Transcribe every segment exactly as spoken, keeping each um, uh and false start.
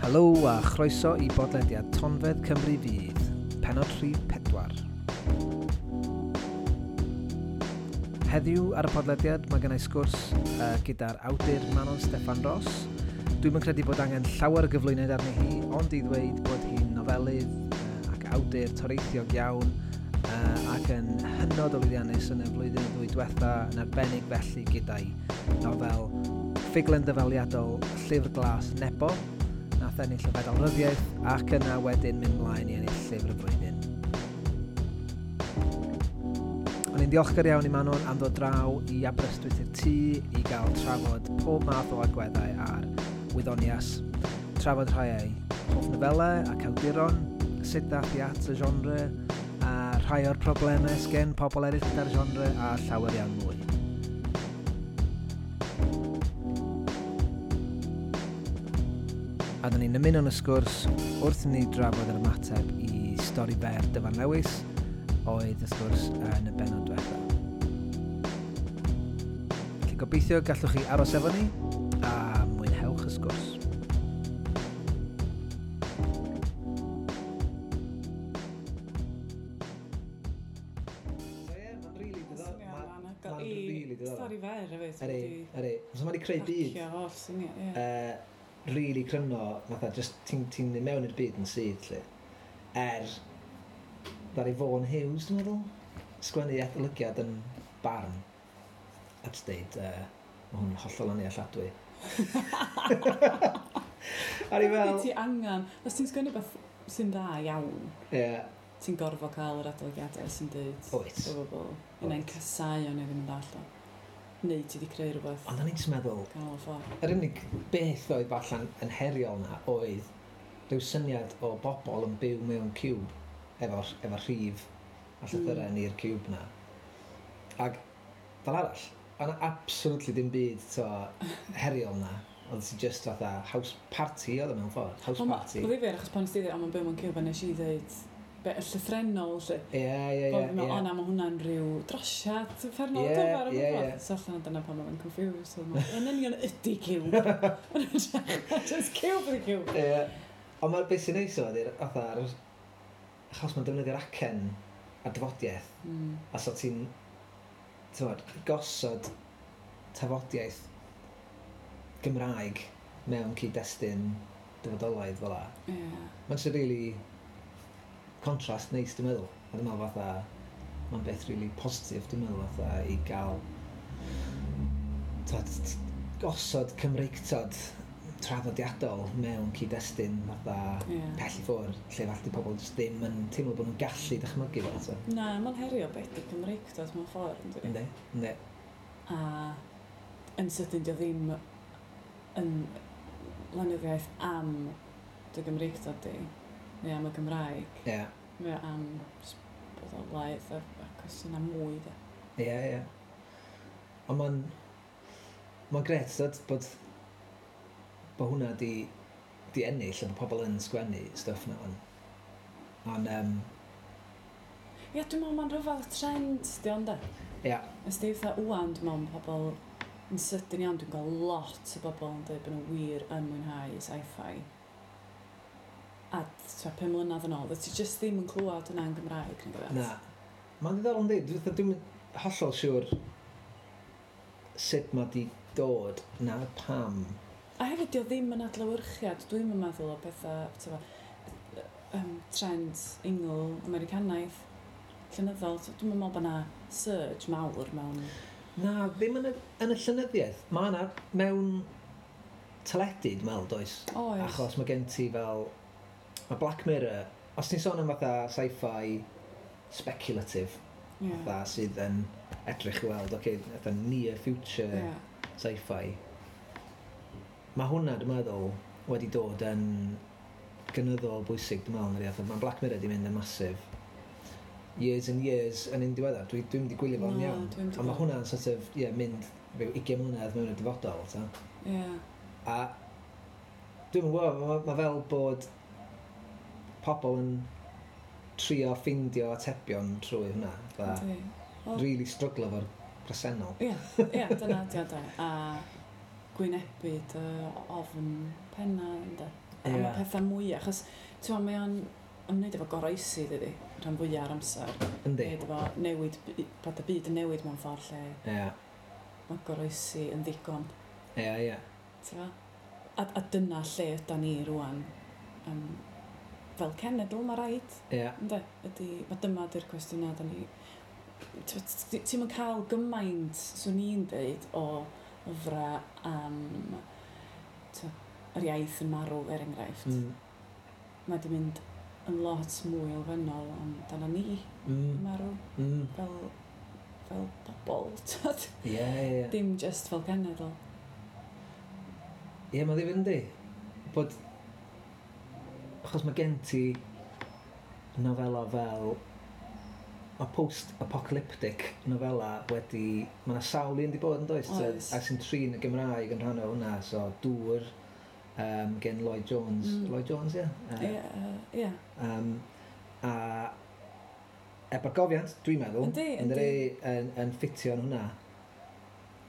Helo a chroeso i bodlediad Tonfedd Cymru Fydd, pennod rhif pedwar. Heddiw ar y podlediad mae gennau sgwrs uh, gyda'r awdur Manon Steffan Ros. Dwi'm yn credu bod angen llawer o gyflwyniad arni hi, ond i ddweud bod hi'n nofelydd uh, ac awdur toreithiog iawn uh, ac yn hynod o lwyddiannus yn y flwyddyn ddwy diwetha, yn arbennig felly gyda'i nofel ffuglen dyfaliadol Llyfr Glas Nebo, nath ennill y Fedal Ryddiaith ac yna wedyn mynd mlaen i ennill Llyfr y Flwyddyn. O'n i'n ddiolchgar iawn i Manon am ddod draw i Aberystwyth i'r tŷ i gael trafod pob math o agweddau ar wyddonias, trafod rhai ei hoff nofelau ac awduron, sut ddath i at y genre, a rhai o'r problemau sgen pobl eraill gyda'r genre a llawer iawn mwy. A dyn ni'n ymuno yn y sgwrs wrth i ni drafod yr ymateb i stori fer Dyfan Lewis, oedd y sgwrs yn y bennod diwetha. Felly gobeithio gallwch chi aros efo ni a mwynhewch y sgwrs. So ie, mae'n rili diddorol. Mae'n rili diddorol. Stori fer hefyd. Ydy, ydy. So mae wedi creu byd. Pacio holl syniad, ie. Uh, really cryno, fatha, just ti'n ti mynd mewn i'r byd yn syth, lle. Er, ddaru Vaughan Hughes, dwi'n meddwl, sgwennu adolygiad yn Barn, a jyst deud, uh, mae hwn hollol annealladwy. A ni fel... Ti angen, os ti'n sgwennu beth sy'n dda iawn, Ie. Yeah. ti'n gorfod cael yr adolygiadau sy'n deud Oes. o bobl, unai'n casau o neu ddim yn dallt o. Neu ti wedi creu rhywbeth Ond o'n i'n just meddwl, ganol y ffordd. yr unig beth oedd falle'n yn heriol na oedd rhyw syniad o bobl yn byw mewn ciwb efo, efo rhif a llythyrau mm. i'r ciwb na. Ac fel arall, o'na absolutely dim byd to, heriol na. Oedd ti just fatha house party oedd o mewn ffordd. House Ond ma- party. Oedd ddifyr, achos pan nes ti ddeud, o, mae'n byw mewn ciwb, a nes i ddeud, be, y llythrennol, lle. Ie, ie, ie. Bod fi'n meddwl, ie. o na, mae hwnna'n rhyw drosiad uffernol Ie, dyfar o ie, bobl. ie. So allan dyna pan mae'n confused. Oedd o'n Yn union ydy ciwb. Just ciwb ydy ciwb. Ie. Ond mae'r beth sy'n neis o ydy'r fatha'r... Achos mae'n defnyddio'r acen a dafodiaeth. Mm. A so ti'n, t'mod, gosod tafodiaeth Gymraeg mewn cyd-destun dyfodolaidd fel 'a. Ie. Mae'n just really contrast neis, dwi'n meddwl. A dwi'n meddwl fatha, mae'n beth really positif, dwi'n meddwl fatha, i gael t'mod, t- gosod Cymreictod traddodiadol mewn cyd-destun fatha Ie. pell i ffwrdd, lle falle di pobl jyst ddim yn teimlo bod nhw'n gallu dychmygu fo. So. Na, mae'n herio beth ydy Cymreictod mewn ffordd, yn dydi? Yndi, yndi. A yn sydyn, dio ddim yn lenyddiaeth am dy Gymreictod di, neu am y Gymraeg. Ie, Mae o am jyst bod o laeth a, a cwestiynau mwy, de. ie, ie. Ond mae'n... Mae'n gret, dod, bod, bod hwnna di, di ennill a bod pobl yn sgwennu stwff na. Ond, ond um, Ie, dwi'n meddwl mae'n rhyfedd trend, di ond de. ie, Ys di fatha wwan, dwi'n meddwl ma' pobl yn sydyn iawn, dwi'n gweld lot o bobl yn dweud bod nhw wir yn mwynhau sci-fi. A tua pum mlynedd yn ôl, ti just ddim yn clywed hwnna yn Gymraeg, nag oedd? na. Mae'n ddiddorol yndi. Dwi'n dwi'n hollol siŵr sut mae di dod na pam. A hefyd, di o ddim yn adlewyrchiad, dwi'n yn meddwl o pethau, t'bo, um, trend Ingl Americanaidd, llenyddol. Dwi'n meddwl bod 'na surge mawr mewn... Na, ddim yn y, yn y llenyddiaeth. Mae yna mewn teledu, dwi'n meddwl, does? Oes. Achos mae gen ti fel... Mae Black Mirror, os ti'n sôn am fatha sci-fi speculative, Ie. fatha sydd yn edrych i weld, oce, okay, fatha near future Ie. sci-fi. Mae hwnna, dwi'n meddwl, wedi dod yn gynyddol bwysig, dwi'n meddwl, yn yr iaith. Mae Black Mirror wedi mynd yn massive. Years and years yn un diweddar. Dwi, dwi'n mynd i gwylio fo'n Na, iawn. dwi'm 'di Ond mae gweld. hwnna'n sort of, ie, yeah, mynd rhyw ugain mlynedd mewn y dyfodol, ta. Ie. A dwi'n gwybod, mae ma fel bod pobl yn trio ffindio atebion trwy hwnna. Fatha, Yndi. Wel- really struglo efo'r presennol. Ie, ie, dyna di o de. A gwynebu dy ofn penna, ynddo. Am y Ie. pethau mwy, achos, ti'n meddwl, mae o'n ymwneud efo goroesi, dydy, rhan fwyaf o'r amser. Yndi. Neu efo newid, bod y byd yn newid mewn ffordd lle Ie. mae goroesi yn ddigon. Ie, ie. Ti'n fo? A, a dyna lle yda ni rwan. Um, fel cenedl, mae rhaid. Ie. Ynde? Ydy, mae dyma ydy'r cwestiynau da ni. Ti'n mynd cael gymaint, swn i'n deud, o lyfrau am t'wo, yr iaith yn marw, er enghraifft. Mm. Mae di mynd yn lot mwy elfennol amdana ni yn Mm. marw Mm. fel, fel bobl, t'wod? Ie, ie, ie. Dim just fel cenedl. Ie, mae'n ddifyr yndi. Bod... Achos mae gen ti nofela fel... Mae post-apocalyptic nofela wedi... Mae yna sawl un di bod yn does? Oes. A sy'n trin y Gymraeg yn rhan o hwnna. So, Dŵr, um, gen Lloyd Jones. Mm. Lloyd Jones, ie? Ie, ie. Um, a ebargofiant, dwi'n meddwl, Yndi, yn, yndi. yn, yn ffitio yn hwnna.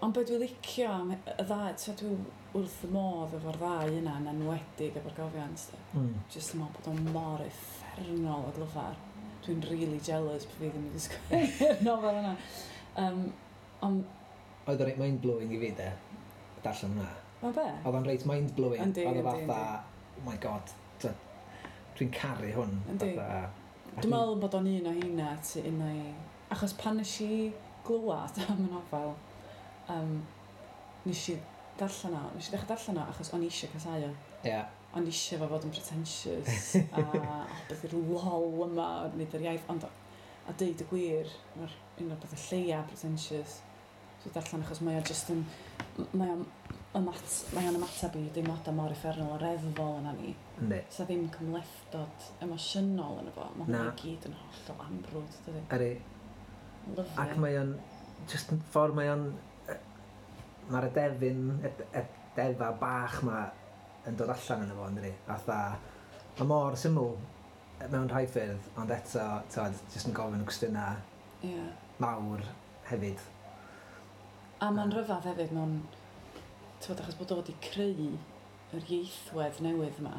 Ond be dwi'n licio am y ddau, so dwi wrth y modd efo'r ddau yna, yn enwedig ebargofiant. de. Mm. Jyst yn meddwl bod o'n mor uffernol o glyfar. Dwi'n really jealous bod fi ddim wedi sgwennu'r nofel yna. Um, ond, Oedd o'n reit mind-blowing i fi, de, darllen hwnna. mae be? Oedd o'n reit mind-blowing. Yndi, Oedd o yndi, fatha, oh my God, t'od, dwi'n caru hwn. Yndi. Fatha, a Dwi'n meddwl bod o'n un o heina, ti un o'i... Achos pan nes i glywed am y nofel, um, nes i darllen o, nes i ddechrau darllen o achos o'n i eisiau casáu o. Ie, O'n i eisiau fo fod yn pretentious a oh, beth yw'r lol yma, nid yr iaith, ond a deud y gwir, mae'r un o'r bethau lleia pretentious dwi'n darllen achos mae o just yn, mae o'n ymat, mae o'n ymateb i deimladau mor uffernol o reddfol yna ni. yndi. Sa ddim cymhlethdod emosiynol yn efo. Mae hwnna Na. i gyd yn hollol amrwd, dydy. Ydi. Lyfli. Ac mae o'n, just yn ffordd mae o'n, yy, mae'r edefyn, ed, edefa bach ma yn dod allan yn efo, yndi? Fatha, mae mor syml mewn rhai ffyrdd, ond eto, t'od, just yn gofyn y cwestiynau Ie. mawr hefyd. A mae'n rhyfedd hefyd mewn, ti'n achos bod o wedi creu yr ieithwedd newydd yma.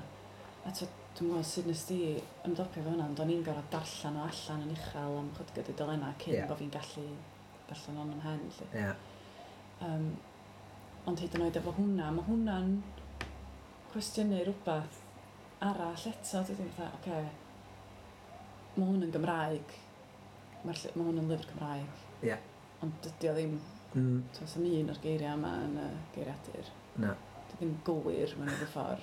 A ti'n dwi'n gwybod sut nes di ymdopi efo hwnna, ond o'n i'n gorfod darllen o allan yn uchel am chydig o dudalennau cyn Ie. bod fi'n gallu darllen o'n ymhen. Lly. Ie. Um, ond hyd yn oed efo hwnna, mae hwnna'n cwestiynu rhywbeth arall eto, dydy, fatha, oce, mae hwn yn Gymraeg, mae'r ll- mae hwn yn lyfr Cymraeg. Ie. Ond dydy o ddim, Mm, does am un o'r geiriau yma yn y geiriadur. na. Dydy ddim gywir mewn unrhyw ffordd.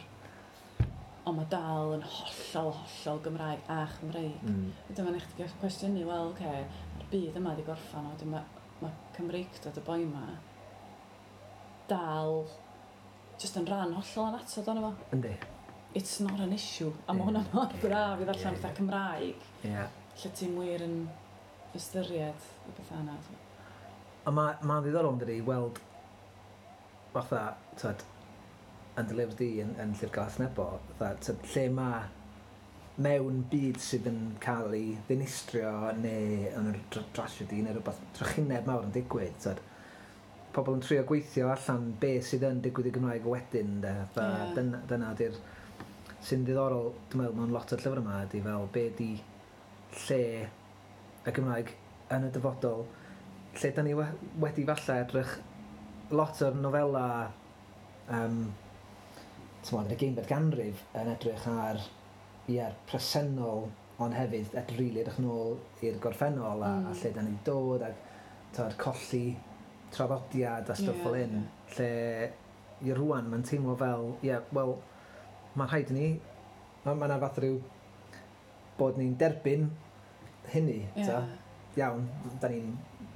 Ond mae dal yn hollol, hollol Gymraeg a Chymreig. Mm. Wedyn mae'n eich cwestiynu, wel, oce, mae'r byd yma wedi gorffan, a wedyn mae, mae Cymreictod y boi yma dal just yn rhan hollol annatod ono fo. Yndi. It's not an issue. A mae Ie. hwnna mor braf i ddarllen Ie, fatha ie. Cymraeg, Ie. lle ti'n wir yn ystyried y bethau yna. A mae ma ddiddorol yn dydi i weld fatha, t'od, yn dy lyfr di yn, yn Llyfr Glas Nebo, fatha, t'od, lle mae mewn byd sydd yn cael ei ddinistrio neu yn yr dr- drasiedi neu rhywbeth trychineb mawr yn digwydd, t'od, pobl yn trio gweithio allan be sydd yn digwydd i Gymraeg wedyn, de, fatha, Ie. dyna, dyna di'r sy'n ddiddorol, dwi'n meddwl, mewn lot o'r llyfr yma, ydy fel be di lle y Gymraeg yn y dyfodol, lle da ni we- wedi falle edrych lot o'r nofela um, t'mod, yn y ugeinfed ganrif yn edrych ar ie'r presennol ond hefyd ed rili edrych nôl i'r gorffennol a, mm. a Mm. lle da ni wedi dod ac t'mod, colli traddodiad a stwff Ie, fel hyn ie. lle i rwan mae'n teimlo fel ie, yeah, wel mae'n rhaid i ni mae ma 'na fath rhyw bod ni'n derbyn hynny Ie. ta? Iawn, da ni'n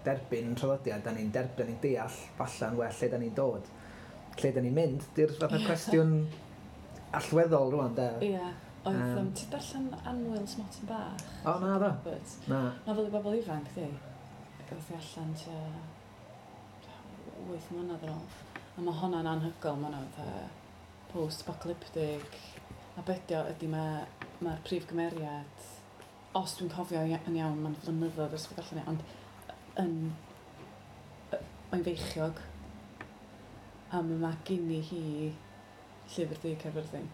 derbyn traddodiad, da ni'n derbyn, da ni'n deall falla'n well lle da ni'n dod. Lle da ni'n mynd, di'r fatha cwestiwn allweddol rwan, de. Ie. Oedd, Yym. um, ti'n darllen Annwyl Smotyn Bach? O, na, do. Roberts. Na. Nofel i bobl ifanc, di. Gath i allan tua wyth mlynedd yn ôl. A mae hwnna'n anhygoel, mae hwnna'n fatha post-apocalyptic. A be 'di o ydy mae'r ma prif gymeriad, os dwi'n cofio ia- yn iawn, mae'n flynyddoedd ers fi darllen i, ond yn, yy, mae'n feichiog. A mae ma gini hi Llyfr Du Caerfyrddin.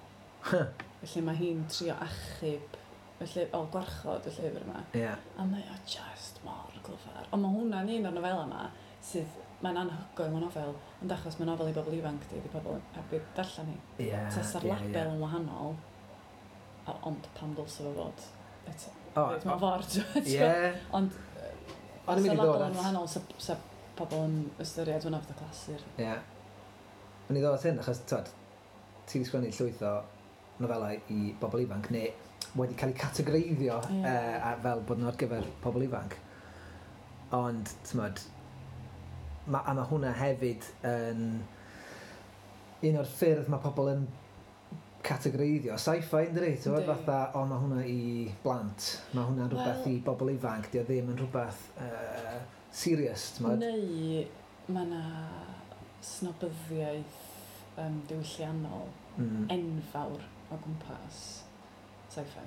Felly mae hi'n trio achub, felly, o, gwarchod y llyfr yma. Ie. A mae o just mor glyfar. Ond mae hwnna'n un o'r nofela yma sydd, mae'n anhygoel mewn nofel, ond achos mae'n nofel i bobl ifanc di, di pobl heb i darllen hi. Ie. Tasa'r ie, label ie. yn wahanol, a, ond pam dylse fo fod? Eto, O, reit, mewn ffordd. ti'n Ie. Ond O'n i'n mynd i sa'r ddod label yn at... wahanol, sa, sa pobl yn ystyried hwnna fatha clasur. Ie. O'n i ddod at hyn, achos, twod, ti wedi sgwennu llwyth o nofelau i bobl ifanc, neu wedi cael eu categoreiddio Ie. uh, a fel bod nhw ar gyfer pobl ifanc. Ond, t'mod, ma, a mae hwnna hefyd yn un o'r ffyrdd mae pobl yn categoreiddio sci-fi, yn dydi? T'mod, Yndi. fatha, o, mae hwnna i blant, mae hwnna'n rhywbeth Wel- i bobl ifanc, di o ddim yn rhywbeth uh, serious, t'mod? Neu mae yna snobyddiaeth um, diwylliannol Mm. enfawr o gwmpas sci-fi.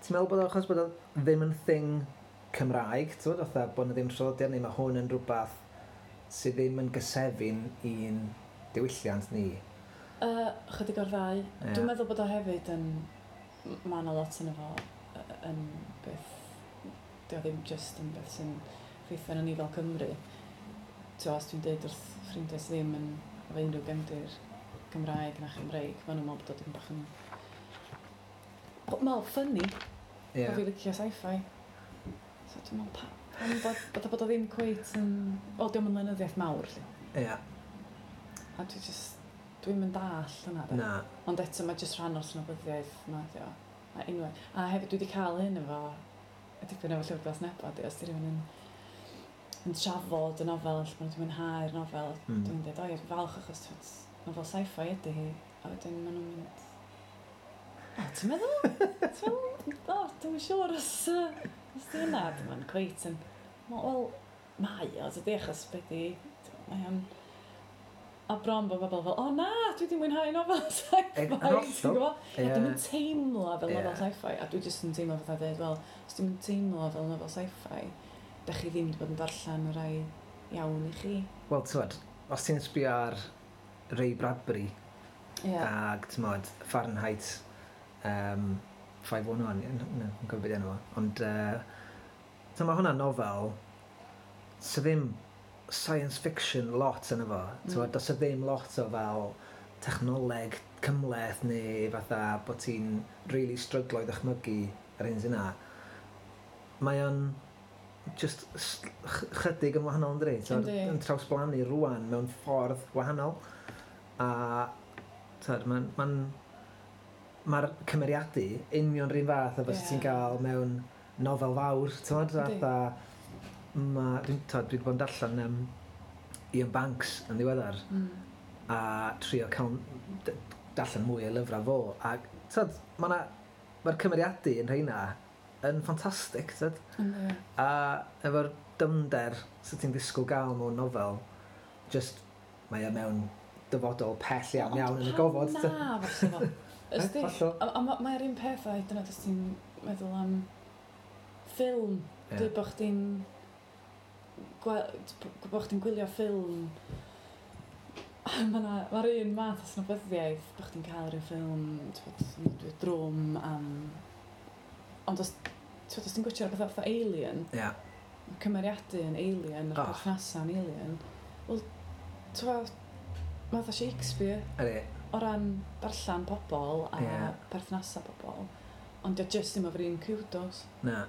Ti'n meddwl bod o achos bod o ddim yn thing Cymraeg, ti'n meddwl, fatha bod yna ddim traddodiad neu mae hwn yn rhywbeth sydd ddim yn gysefin i'n diwylliant ni? Uh, chydig o'r ddau. Ie. Dwi'n meddwl bod o hefyd yn... Mae yna lot yn efo yy, yn beth... Dio ddim just yn beth sy'n effeithio arnon ni fel Cymru. Ti'n os dwi'n deud wrth ffrindiau sydd ddim yn efo unrhyw gefndir Gymraeg na Chymreig, maen nhw'n meddwl bod o dim bach yn... Wel, funny, Ie. yeah. Bo fi licio sci-fi. So dwi'n meddwl, pa, pam bod, bod, bod o ddim cweit yn... Wel, dio'm yn lenyddiaeth mawr, lly. Ie. A dwi just... Dwi'm yn dall hynna, de. Na. Ond eto, mae jyst rhan o'r snobyddiaeth yma, ydi o. A unwaith. A hefyd, dwi wedi cael hyn efo... Y dipyn efo Llyfr Glas Nebo, di, os di rhywun yn, yn trafod y nofel, lle maen nhw wedi mwynhau'r nofel, Mm. dwi'n dweud, o ie, dwi'n falch achos twyd, nofel sci-fi ydy hi. A wedyn maen nhw'n mynd, o, ti'n meddwl? Ti'n meddwl? O, dwi'n siŵr os, yy, os di hynna. Dwi'n mynd cweit yn, wel, mae o, dydy, achos be di, mae o'n, a bron bod bobl fel, o na, dwi wedi mwynhau nofel sci-fi, Yn hollol. ti'n gwybod? Ie. A dwi'n teimlo fel Ie. nofel sci-fi, a dwi jyst yn teimlo fatha dweud, wel, os dwi'n teimlo fel nofel sci-fi, da chi ddim wedi bod yn darllen y rai iawn i chi. Wel, ti'n os ti'n sbio ar Ray Bradbury Ie. ag, ti'n modd, Fahrenheit um, five one one, no, yn cofio beth enw fo, ond uh, so mae hwnna'n nofel sydd ddim science fiction lot yn efo. Mm. Mm. Does e ddim lot o fel technoleg cymhleth neu fatha bod ti'n really stryglo i ddychmygu yr hyn sy'n na. Mae o'n just s- ch- chydig yn wahanol yn dydi? T'mod, Yndi. yn trawsblannu rwan mewn ffordd wahanol. A t'mod, mae'n ma mae'r cymeriadu union rhywun fath o fysa Ie. ti'n gael mewn nofel fawr, t'mod, Yndi. fatha ma, dwi'n, t'mod, dwi wedi bod yn darllen um, Iain Banks yn ddiweddar Mm. a trio cael d- darllen mwy o lyfrau fo a t'mod, ma' 'na mae'r cymeriadu yn rheina yn ffantastig, t'mod, Yndi. a efo'r dyfnder sydd ti'n disgwyl gael mewn nofel, just mae e mewn dyfodol pell iawn Ond iawn yn y pam gofod. Na, fysa fo. Ysdi, Hollol. a, a ma- mae'r un peth a hyd yn oed os ti'n meddwl am ffilm. Ie. Dwi bod chdi'n gwe- bod chdi'n gwylio ffilm. Mae'r ma un math o snobyddiaeth bod chdi'n cael rhyw ffilm, t'bod, dwi drwm am... Ond os, t'bod, os ti'n gwachio rhywbeth fatha Alien, Ie. mae cymeriadu yn Alien, yr Oh. perthnasau yn Alien, wel, t'bod, mae fatha Shakespeare Ydy. o ran darllen pobl a Ie. yeah. perthnasau pobl, ond dio just ddim efo'r un kudos, Na.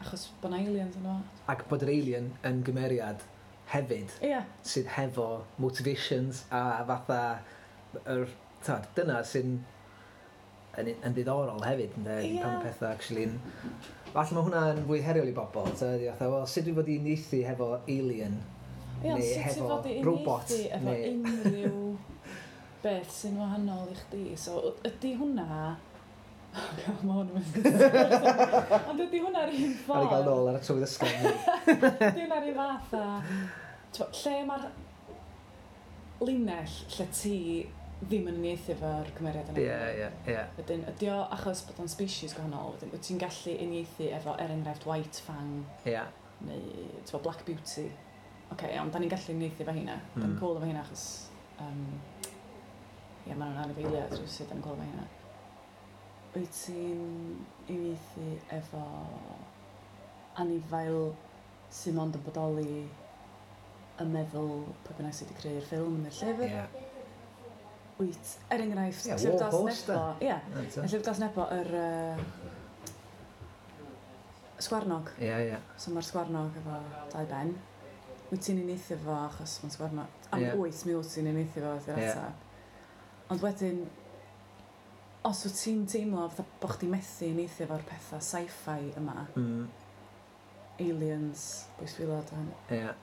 achos bod 'na aliens yno. Ac bod yr alien yn gymeriad hefyd Ie, yeah. sydd hefo motivations a fatha yr, t'od, dyna sy'n yn, yn ddiddorol hefyd, ynde, Ie. yeah. pan mae pethau actually yn... Falle mae hwnna'n fwy heriol i bobl, t'od, i fatha, wel, sut dwi fod i uniaethu hefo alien? Ie, ond Neu sut ti hefo fod i robot, uniaethu efo neu- unrhyw beth sy'n wahanol i chdi. So, ydy hwnna... Mae hwn yn mynd. Ond ydy hwnna'r un Ar i gael ffordd? nôl ar y trywydd ysgol. Ydy hwnna'r un fath a... T'mo, lle mae'r linell lle ti ddim yn uniaethu efo'r cymeriad yna? Ie, ie, ie. Wedyn, ydy o achos bod o'n species gwahanol, wedyn, wyt ti'n gallu uniaethu efo, er enghraifft, White Fang Ie. neu, t'mo, Black Beauty. Oce, okay, iawn, da ni'n gallu uniaethu efo heina. Mm. Da ni'n Mm. cool efo heina achos, um, ie, maen nhw'n anifeiliaid rhywsut, da ni'n cool efo heina. Wyt ti'n uniaethu efo anifail sy'n mond yn bodoli yn meddwl pwy bynnag sydd wedi creu'r ffilm neu'r llyfr. Ie. Wyt, er enghraifft, Ie, Llyfr War Glas Horse, Nebo. Ie, Na, y Llyfr Glas Nebo, yr uh, sgwarnog. Ie, ie. So mae'r sgwarnog efo dau ben. Wyt ti'n uniaethu fo achos mae'n sgwarnog. Am Ie. wyt, mi wyt ti'n uniaethu fo ydy'r Ie. ateb. Ond wedyn, os wyt ti'n teimlo fatha bo chdi methu uniaethu efo'r pethau sci-fi yma, Mm, aliens, bwystfilod, a hynny, Ie.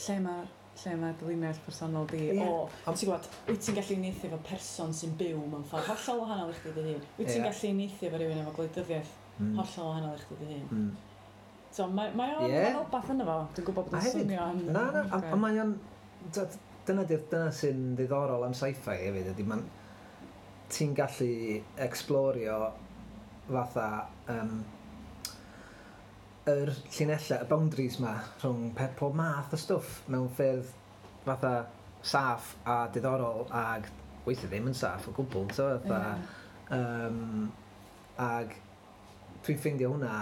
lle mae'r lle mae'r linell personol di Ie. o, ti'n gwybod, wyt ti'n gallu uniaethu efo person sy'n byw mewn ffordd hollol wahanol i chdi dy hun? Wyt ti'n Ie. gallu uniaethu efo rhywun efo gwleidyddiaeth Mm. hollol wahanol i chdi dy hun? Mm. So mae, mae o'n Ie. yeah. rhywbeth yno fo. Dwi'n gwybod bod A o'n hefyd- swnio yn... Na, na, a, a mae o'n... d- Dyna, di'r- dyna sy'n ddiddorol am sci-fi hefyd, ydy ma'n... Ti'n gallu explorio fatha um, yr llinellau, y boundaries ma rhwng pe, pob math o stwff mewn ffyrdd fatha saff a diddorol ag weithiau ddim yn saff o gwbl, so fatha, Ie. um, ag dwi'n ffeindio hwnna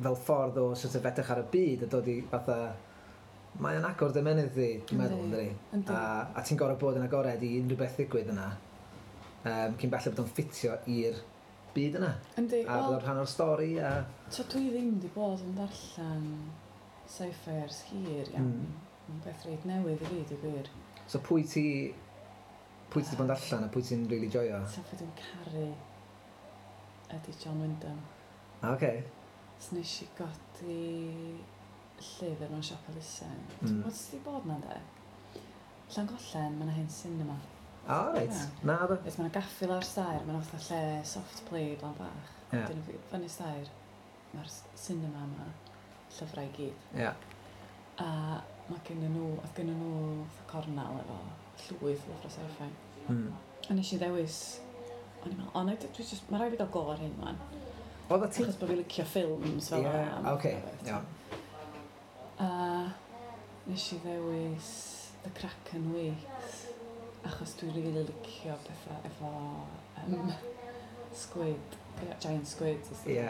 fel ffordd o sort of edrych ar y byd a dod i fatha mae o'n agor dy ymennydd di, dwi'n meddwl, Yndi, ynddi? yndi. A, a ti'n gorfod bod yn agored i unrhyw beth ddigwydd yna um, cyn belled bod o'n ffitio i'r byd yna. Yndi, A bod wel, o'n rhan o'r stori a... so dwi ddim wedi bod yn darllen sci-fi ers hir iawn. Mm. Mae'n beth reit newydd i fi, di gwir. So pwy ti... Pwy ti wedi bod yn darllen a pwy ti'n really joio? So pwy dwi'n caru ydy John Wyndham. Ah, oce. So nes i godi llyfr mewn siop elusen. Mm. Dwi'n gwybod sydd wedi bod na de? Llangollen, mae yna hen cinema. Ah, reit. Ie. Na, do. Reit, mae yna gaffi lawr stair, mae yna fatha lle soft play blan bach. Ie. Wedyn fyny fyny stair, mae'r s- cinema yma, llyfrau i gyd. Ie. A mae gen nhw, oedd gen nhw fatha cornel efo llwyth o lyfrau sci-fi. Mm. A nes i ddewis, o'n i'n meddwl, o, na, dwi just, mae rhaid fi gael go ar hyn, man. Oedd ti... Achos bod fi licio ffilms fel Ie, yna. oce. Iawn. A nes i ddewis The Kraken Wakes, achos dwi'n rili really licio pethau efo um, squid, giant squid. Ie.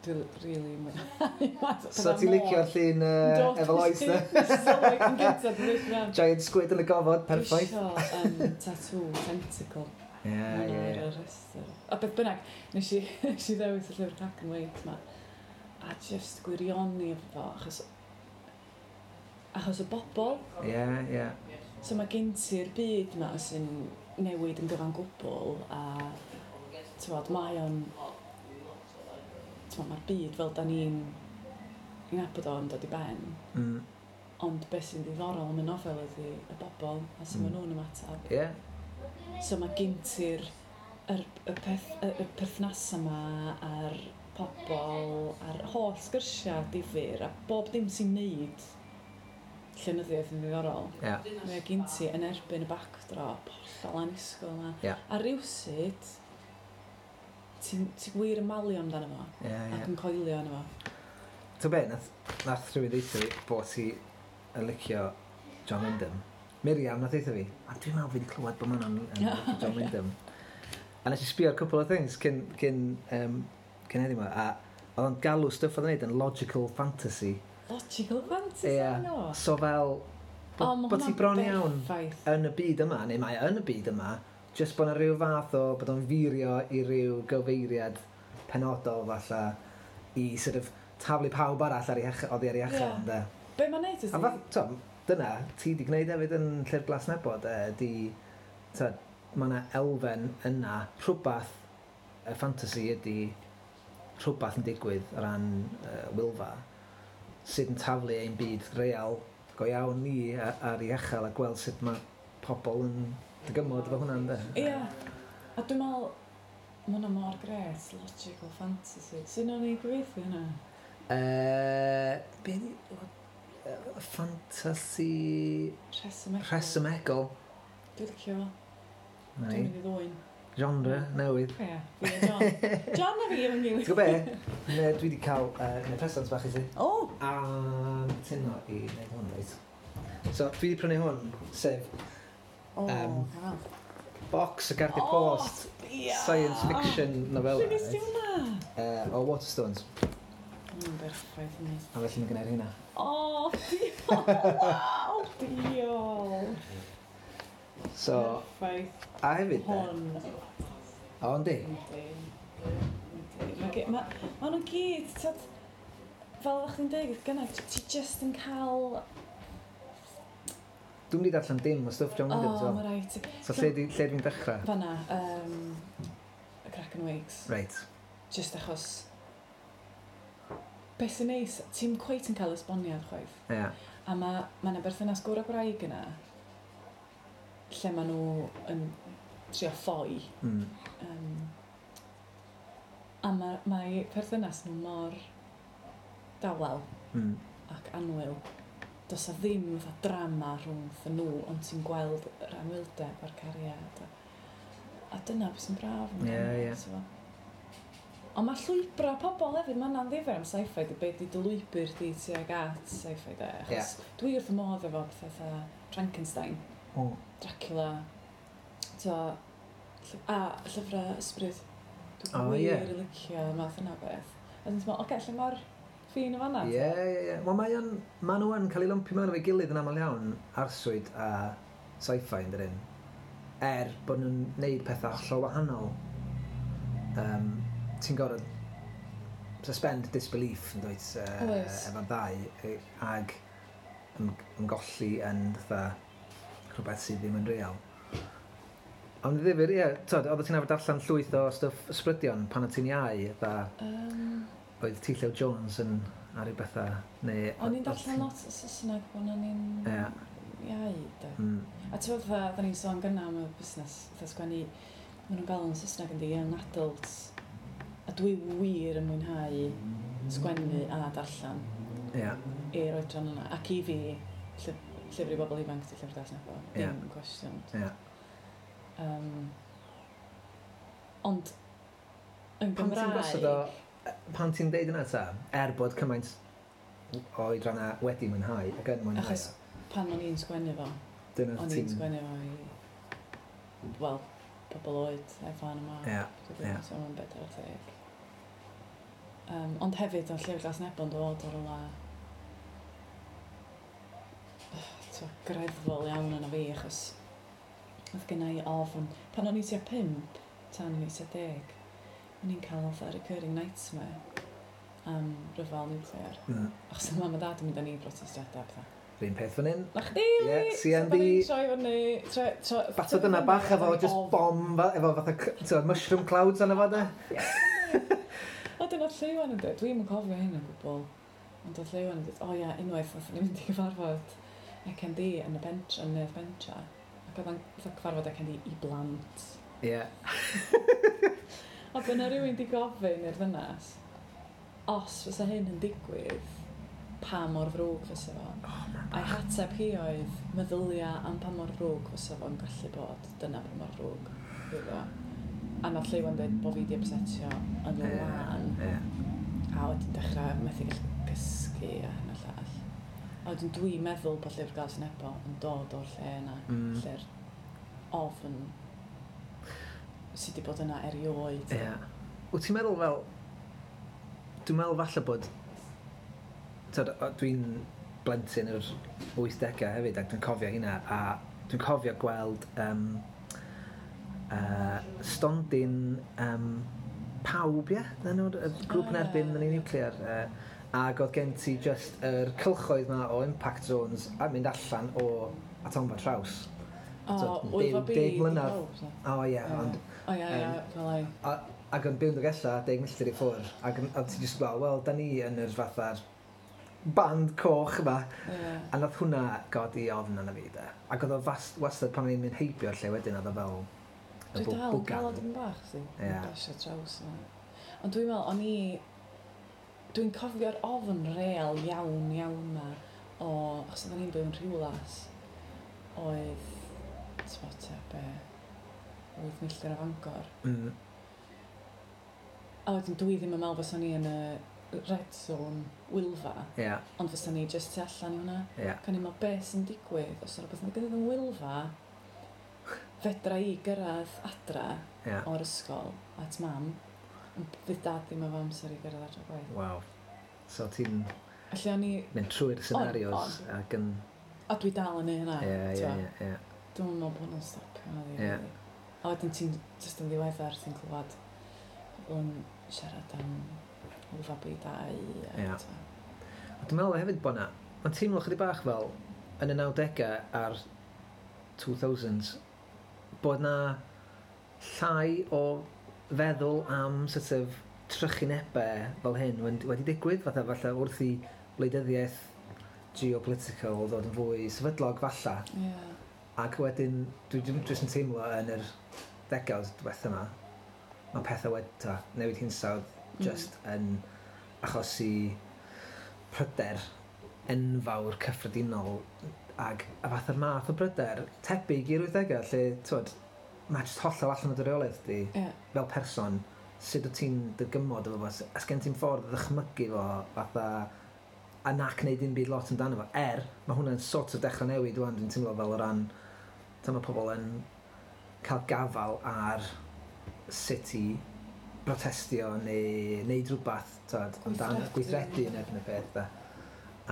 Dwi'n really mwynhau. So ti'n licio'r llun uh, efo Lois, de? Sylwi yn gyntaf, dwi'n eisiau. Giant squid yn y gofod, perffaith. Dwi isio um, tattoo tentacle. Ie, Mae ie, hwnna ar ie. y rhestr. A beth bynnag, nes i, nes i ddewis y llyfr Kraken Wakes ma. A just gwirioni efo fo, achos, achos y bobl. Ie, ie. So mae gen ti'r byd ma sy'n newid yn gyfan gwbl a t'mod, mae o'n t'mod, mae'r byd fel da ni'n i nabod o'n dod i ben. Mm. Ond beth sy'n ddiddorol am y nofel ydy y bobl a sut Mm. maen nhw'n ymateb. Ie. So mae gen ti'r yr, y, peth, y, y perthnasau yma a'r pobl a'r holl sgyrsiau difyr a bob dim sy'n neud llenyddiaeth yn ddiddorol. Ie. Mae gen ti yn erbyn y backdrop hollol annisgwyl yma. Ie. A rywsut, ti'n ti wir yn malio amdano fo Ie, ac ie. yn coelio arno fo. Ti'n be, nath, nath rhywun ddeutha fi bod ti yn licio John Wyndham. Miriam nath ddeutha fi, a dwi'n meddwl fi wedi clywed bod Manon yn licio John Wyndham. A nes i sbio ar cwpl o things cyn, cyn, um, cyn heddiw 'ma, a oedd o'n galw stwff oedd o'n neud yn logical fantasy. Logical fantasy Ie. yeah. o. So fel, O, bod ma' bo ti hwnna'n bron iawn berffaith. yn y byd yma, neu mae yn y byd yma, just bod yna rhyw fath o, bod o'n furio i ryw gyfeiriad penodol falle i sort of taflu pawb arall ar ei hech, oddi ar ei hechel, Ie. ynde. Be mae'n neud A ydy? fath, to, dyna, ti di gwneud hefyd yn Llyfr Glas Nebo, de, di, to, mae yna elfen yna, rhywbeth, y fantasy ydy rhywbeth yn digwydd o ran uh, Wylfa, sydd yn taflu ein byd real go iawn ni a- ar ei echel a gweld sut mae pobl yn dygymod efo hwnna, ynde? Ie. A dwi'n meddwl, mae hwnna mor gret, logical fantasy. Sut o'n i gyfieithu hynna? Uh, be di... yy, Fantasy... Rhesymegol. Rhesymegol. Dwi'n licio fo. Na Dwi'n i. mynd i ddwyn. Genre newydd. Ie, fi a John. John a fi efo'n gilydd. Ti'n gwybod be? Ne, dwi wedi cael uh, neu present bach i ti. O! A cytuno i wneud hwn, reit. So, dwi wedi prynu hwn, sef O, Yym, cael. Box o gardiau post. Ia! Science fiction novella. Lle nes ti hwnna? Uh, o Waterstones. Mae'n berffaith yn A felly mae gennai'r hynna. O, diolch! Waw, diolch! So, Perffaith. a hefyd, de. Hwn. O, yndi. Yndi. Yndi. Ma' ge- Ma ma' nhw gyd, t'od, fel o'ch chdi'n dweud gynna, ti ti just yn cael. Dwi'n mynd i darllen dim o stwff John Wyndham, O, so. mae rhaid. So lle, di, lle dwi'n dechrau? Fanna, um, y Kraken Wakes. Reit. Just achos. Beth sy'n neis, ti'n cweit yn cael esboniad chwaith. Ie. Yeah. A mae ma 'na berthynas gŵr a gwraig yna, lle maen nhw yn trio ffoi. Mm. Um, a mae mae perthynas nhw mor dawel Mm. ac annwyl. Does 'na ddim fatha drama rhwng nhw, ond ti'n gweld yr anwyldeb a'r cariad. A, a dyna beth sy'n braf amdano Ie, ie. fo, t'bo. Ond mae llwybrau pobl hefyd, mae hwnna'n ddifyr am sci-fi, di be di dy lwybr di tuag at sci-fi de. Achos dwi wrth y modd efo pethau fatha Frankenstein, O. Dracula, t'o, lly- a llyfrau ysbryd. Dwi'n O, wir ie. yn licio y math yna o beth. A dwi'n meddwl, oce, lle mae'r ffin o fanna? Ie, ie, ie. Wel, mae o'n... Ma nhw yn cael ei lumpio mewn efo'i gilydd yn aml iawn, arswyd a sci-fi yn dydyn. Er bod nhw'n neud pethau hollol wahanol. Um, ti'n gorfod suspend disbelief yn dweud uh, Oes. efo'r ddau e, ag ym, ymgolli yn fatha rhywbeth sydd ddim yn real. Ond ddifyr, ie, tod, oeddet ti'n arfer darllen llwyth o stwff ysbrydion pan o ti'n iau, fatha, Um, oedd T. Llew Jones yn ar ryw bethau, neu. O'n i'n darllen lot o Saesneg pan o'n i'n Ie. iau, de. Mm, A ti'n meddwl, fatha, da ni'n sôn gynna am y busnes, fatha sgwennu, maen nhw'n galw yn Saesneg yn di young adults. A dwi wir yn mwynhau sgwennu a darllen Ie, i'r oedran yna. Ac i fi, llyf llyfr i bobl ifanc di Llyfr Glas Nebo. Ie. Dim cwestiwn. ie. Um, ond yn Pan ti'n Gymraeg. gosod o, pan ti'n deud yna ta, er bod cymaint o oedranna wedi mwynhau ac yn mwynhau, Achos pan o'n i'n sgwennu fo, dyna o'n i'n ti'n. sgwennu fo i, wel, pobl oed, efo yma. Ie, ie. So mae'n bedair ar ddeg. Um, ond hefyd, oedd Llyfr Glas Nebo'n dod o rywle t'o, greddfol iawn yna fi, achos oedd genna i ofn. Pan o'n i tua pump, tan o'n i tua deg, o'n i'n cael fatha recurring nightmare am ryfel niwclear. Mm. Achos oedd mam a dad yn mynd â ni i brotestiadau a pethau. Yr un peth fan hyn. Na chdi, Ie, Lee! C N B. So, da ni'n troi fyny. Troi, troi, Batod yna bach efo just bom, fa- efo fatha c- t'wod, mushroom clouds arno fo de. O, dyna'r Lleuwen yn dweud, dwi'm yn cofio hyn o gwbl. Ond oedd Lleuwen yn dweud, o ia, unwaith nath ni mynd i gyfarfod C N D yn y bentra, yn y bentra. Ac oedd o'n fatha cyfarfod C N D i blant. Ie. A bod yna rhywun di gofyn i'r ddynas, os fysa hyn yn digwydd, pa mor ddrwg fysa fo? Oh, man. A'i hateb hi oedd, meddylia am pa mor ddrwg fysa fo'n gallu bod, dyna pa mor ddrwg fydd o. A nath Lleuwen dweud bod fi di upsetio yn Ie, lân. Ie. A wedyn dechrau methu gallu cysgu a hyn a llall. A wedyn dwi'n meddwl bod Llyfr Glas Nebo yn dod o'r lle yna, Mm. lle'r ofn sydd wedi bod yna erioed. Ie. Wyt ti'n meddwl fel. Dwi'n meddwl falle bod, tyd, o- dwi'n blentyn yr wythdegau hefyd ac dwi'n cofio hynna a dwi'n cofio gweld um, uh, stondin um, Pawb, ie? Dyna nhw'r y grŵp yn O, ie. erbyn yn ei niwclear. Uh, ac oedd gen ti just yr cylchoedd ma o impact zones a mynd allan o atomfa Traws. O, So, Wylfa deg- B. deg di mlynedd. Pawb, so. O ie, Ie. ond O ia, ia, Yym, fel ai. A, ac yn byw yn Dolgellau, deg milltir i ffwrdd, ac yn- a ti jyst fel, wel, da ni yn yr fatha'r band coch yma. Ie. A nath hwnna godi ofn arna fi, de. Ac oedd o fas, wastad pan o'n i'n mynd heibio'r lle wedyn, oedd o fel y Dwi bw- dal yn cael o bwgan. dipyn bach, si. Ie. Basio traws yna. Ond dwi'n meddwl, o'n i. Dwi'n cofio'r ofn real iawn, iawn ma o. Achos oedden ni'n byw yn Rhiwlas, oedd, ti'n tua be, wyth milltir o Fangor. Mm. A wedyn dwi ddim yn meddwl fysa ni yn y red zone Wylfa, Ie, ond fysa ni jyst tu allan i hwnna. ie. Ac o'n i'n meddwl, beth sy'n digwydd os yna rhywbeth yn digwydd yn Wylfa, Fedra i gyrraedd adra Yeah. o'r ysgol at Mam, ond fydd Dad ddim efo amser i gyrraedd adra gwaith. Waw. So ti'n Felly o'n i, mynd trwy'r scenarios On, ac yn. A dwi dal yn neud hynna. Ie, ie, t'mo'. ie, ie. Dwi'n meddwl bod hwnna'n stopio na Ie. really. A wedyn ti'n just yn ddiweddar, ti'n clywed pobl yn siarad am fabi dau. A, Ie. t'mo'. A dwi'n meddwl hefyd bod na, mae'n teimlo chydig bach fel yn y nawdegau a'r two thousands, bod na llai o feddwl am sort of trychinebau fel hyn wedi, wedi digwydd, fatha falle wrth i wleidyddiaeth geopolitical ddod yn fwy sefydlog falla. Ie. Ac wedyn, dwi dwi jyst yn teimlo yn yr degawd diwetha yma, mae pethau wedi ta, newid hinsawdd Mm. just yn achosi pryder enfawr cyffredinol ag a fatha'r math o bryder tebyg i'r wythdegau lle, t'wod, mae jyst hollol allan o dy reolaeth di Ie. fel person, sut wyt ti'n dygymod efo fo, a sgen ti'n ffordd o ddychmygu fo fatha a nac wneud dim byd lot amdano fo, er mae hwnna'n sort of dechrau newid wan, dwi'n teimlo fel o ran ta mae pobl yn cael gafal ar sut i brotestio neu wneud rhywbeth, t'wod, amdano Gweithredu. gweithredu yn erbyn y peth da.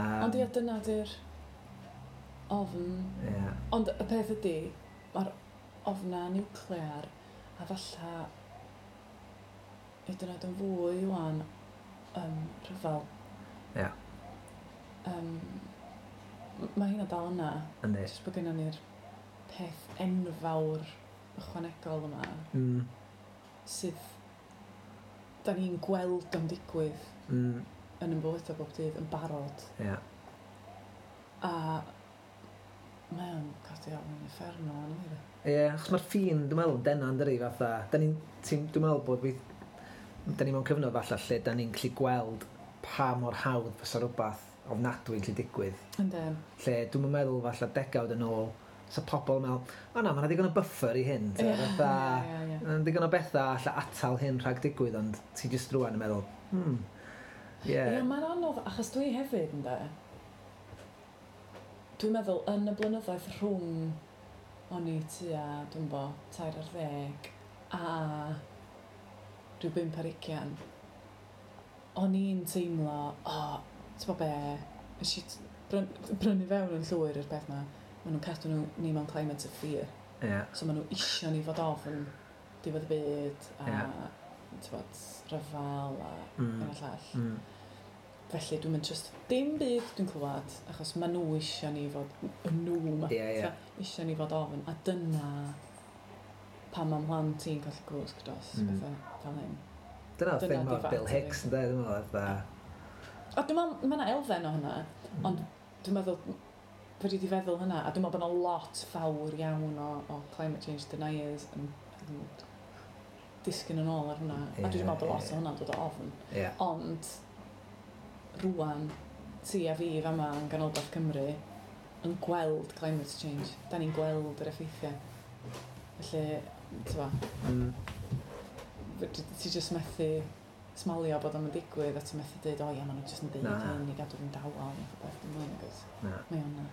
Um, Ond ia, dyna di'r ofn. Ie. Ond y peth ydy, mae'r ofna niwclear a falla hyd yn oed yn fwy wan um, rhyfel. Ie. Um, mae hynna dal yna. Yndi. Jyst bod gennym ni'r peth enfawr ychwanegol yma Mm, sydd da ni'n gweld o'n digwydd mm, yn yn bywydau bob dydd yn barod. ie. A mae o'n codi ofn yn uffernol yn fi. Ie, achos mae'r ffin, dwi'n meddwl, yn dena yn dydi, fatha, da ni'n, ti'n- dwi'n meddwl bod weith, da ni mewn cyfnod falle lle da ni'n gallu gweld pa mor hawdd fysa rhywbeth ofnadwy yn gallu digwydd. Yndyn. Lle dwi'n meddwl falle degawd yn ôl, sa pobl yn meddwl, "O na, mae 'na ddigon o buffer i hyn." Ie, fatha, ie, ie. ma' 'na ddigon o bethau alla atal hyn rhag digwydd, ond ti jyst rwan yn meddwl, hmm, ie. Ie, mae'n anodd, achos dwi hefyd, ynde. Dwi'n meddwl, yn y blynyddoedd rhwng o'n i tua, dwi'n bo, tair ar ddeg, a rhyw bump ar ugian, o'n i'n teimlo, o, oh, ti'n bo be, nes i bryn, brynu fewn yn llwyr i'r peth ma, maen nhw'n cadw nhw, ni mewn climate of fear. Ie, So maen nhw isio ni fod ofn diwedd y byd a Ie. yeah. bod, rhyfel a Mm. hyn a llall. Mm. Felly dwi'n mynd trust dim byd dwi'n clywed, achos maen nhw isio ni fod, y nhw ma, Ie, ie. t'o', isio ni fod ofn. A dyna pan mae mhlant i'n colli gwsg dros Mm. mm. bethau fel hyn. Dyna'r Dyna thing di mawr fat Bill i fi. Hicks, ynde, dwi'n meddwl, fatha. A dwi'n meddwl, mae yna elfen o hynna, Mm. ond dwi'n meddwl, fedri di feddwl hynna, a dwi'n meddwl bod yna lot fawr iawn o, o climate change deniers yn, yn disgyn yn ôl ar hwnna. A dwi'n Ie, meddwl bod lot ie. o hwnna'n dod o ofn. Ie, Ond, rwan, ti a fi fama yn ganolbarth Cymru yn gweld climate change. Da ni'n gweld yr effeithiau. Felly, ti'n Mm. ti jyst methu smalio bod o'n digwydd a ti'n methu dweud, "O ia, maen nhw jyst yn deud Na. hyn i gadw fi'n dawel," neu rhywbeth. Dim ond, agos. Na. Mae o'n na.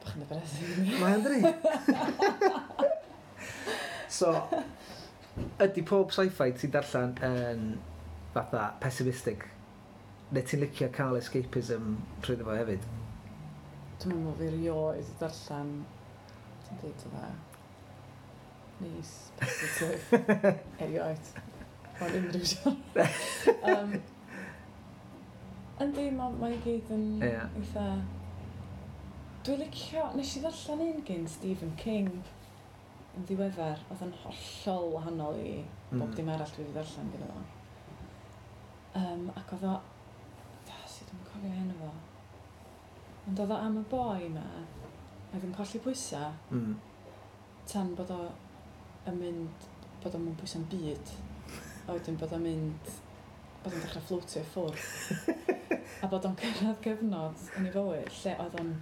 Bach yn depressing. Mae o'n dydi? So, ydy pob sci-fi ti'n darllen yn fatha pessimistic? Neu ti'n licio cael escapism trwy fo hefyd? Dwi'n meddwl fi rioed 'di darllen, ti'n dweud yna, neis, positif, erioed. Mae'n unrhyw genre. um, yndi, mae ma i gyd yn Ie. eitha. Dwi'n licio. Nes i ddarllen un gyn Stephen King yn ddiweddar, oedd yn hollol wahanol i bob Mm. dim arall dwi wedi darllen gyda fo. Um, ac oedd o... Da, sut dwi'n cofio enw fo. Ond oedd o am y boi ma, oedd yn colli pwysau Mm. tan bod o yn mynd, bod o'n mewn pwysau'n byd. A wedyn bod o'n mynd, bod o'n dechrau fflotio i ffwrdd. A bod o'n cyrraedd gyfnod yn ei fywyd lle oedd o'n,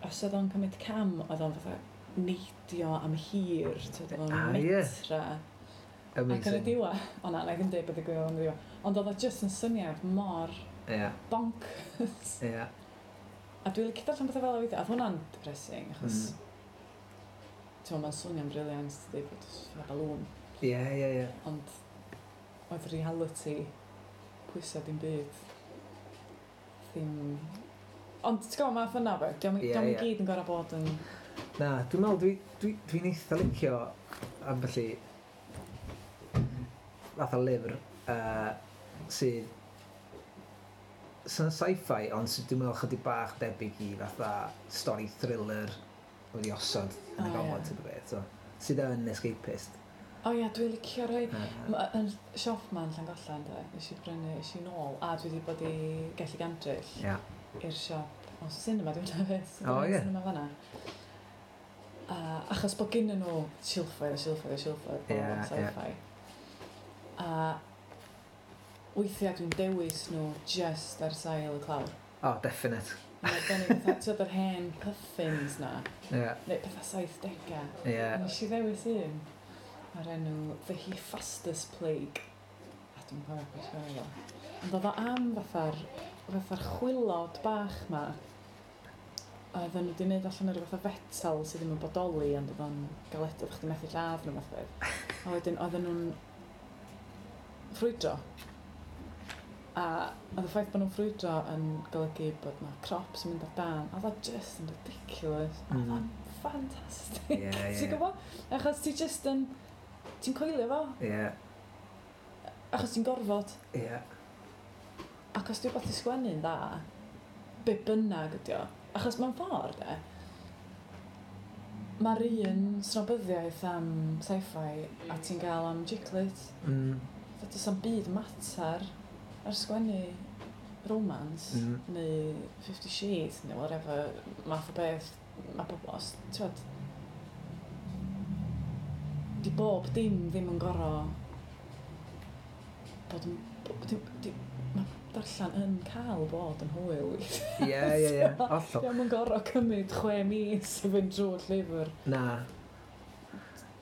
os oedd o'n cymryd cam, oedd o'n fatha neidio am hir, t'wod, oedd o'n Ah, ie. metra. Ac yn y Amazing. diwedd, o na, na i ddim deud beth ddigwyddodd yn y diwedd, ond oedd o just yn syniad mor Ie, bonkers. ie. A dwi'n licio darllen pethau fel o weithiau. A oedd hwnna'n depressing, achos Mm. ti'n mae'n swnio'n brilliant, dweud bod fatha balŵn. Ie, ie, ie. Ond oedd reality pwysau dim byd ddim. Ond ti'n gwybod, math yna beth, diolch Ie, yeah, ie. gyd yn gorau bod yn. Na, dwi'n meddwl, dwi'n dwi, dwi eitha licio ambell i fath o lyfr uh, sydd sy'n sci-fi, ond sydd dwi'n meddwl chydig bach debyg i fatha stori thriller wedi osod yn y O, gofod, ie. type o beth. So, sydd yn escapist. O ia, dwi'n licio rhai. Uh, Ma- Yn siop ma'n Llangollen, de, nes i brynu, nes i nôl, a dwi wedi bod i Gelli Gandryll Ia. i'r siop, o cinema, dwi'n hefyd, O, ie. Cinema fanna. A, achos bod gynnu nhw silffoedd a silffoedd a silffoedd o Ie, ie. sci-fi. A weithiau dwi'n dewis nhw just ar sail y clawr. Oh, definite. Mae'n arbennig fatha, ti'n yr hen puffins na, Ie, neu pethau saithdegau. ie. Nes i ddewis un o'r enw The Hephaestus Plague. A dwi'n cofio beth sgwennu fo. Ond oedd o am fatha'r fatha'r chwilod bach ma. A oedden nhw wedi gwneud allan o ryw fath o fetal sydd ddim yn bodoli, ond oedd o'n galed, oedd chdi methu lladd nhw fath o beth. A wedyn oedden nhw'n ffrwydro. A oedd y ffaith bod nhw'n ffrwydro yn golygu bod na crops yn mynd ar dan. A oedd o just yn ridiculous. A oedd o'n ffantastig. Ie, ie. Ti'n gwybod? Achos ti just yn... Ti'n coelio fo? Ie, Achos ti'n gorfod. ie. Ac os di wbeth i sgwennu'n dda, be bynnag ydi o. Achos mewn ffordd, de, mae'r un snobyddiaeth am sci-fi a ti'n gael am chick lit. Mm, Fatha does 'na'm byd mater ar sgwennu romance Mm. neu Fifty Shades neu whatever math o beth mae pobl, os, ti'n di bob dim ddim yn gorau bod yn... bo- di, di, mae darllen yn cael bod yn hwyl. Ie, ie, ie. Hollol. Dio'm yn gorau cymryd chwe mis i fynd drwy'r llyfr. Na,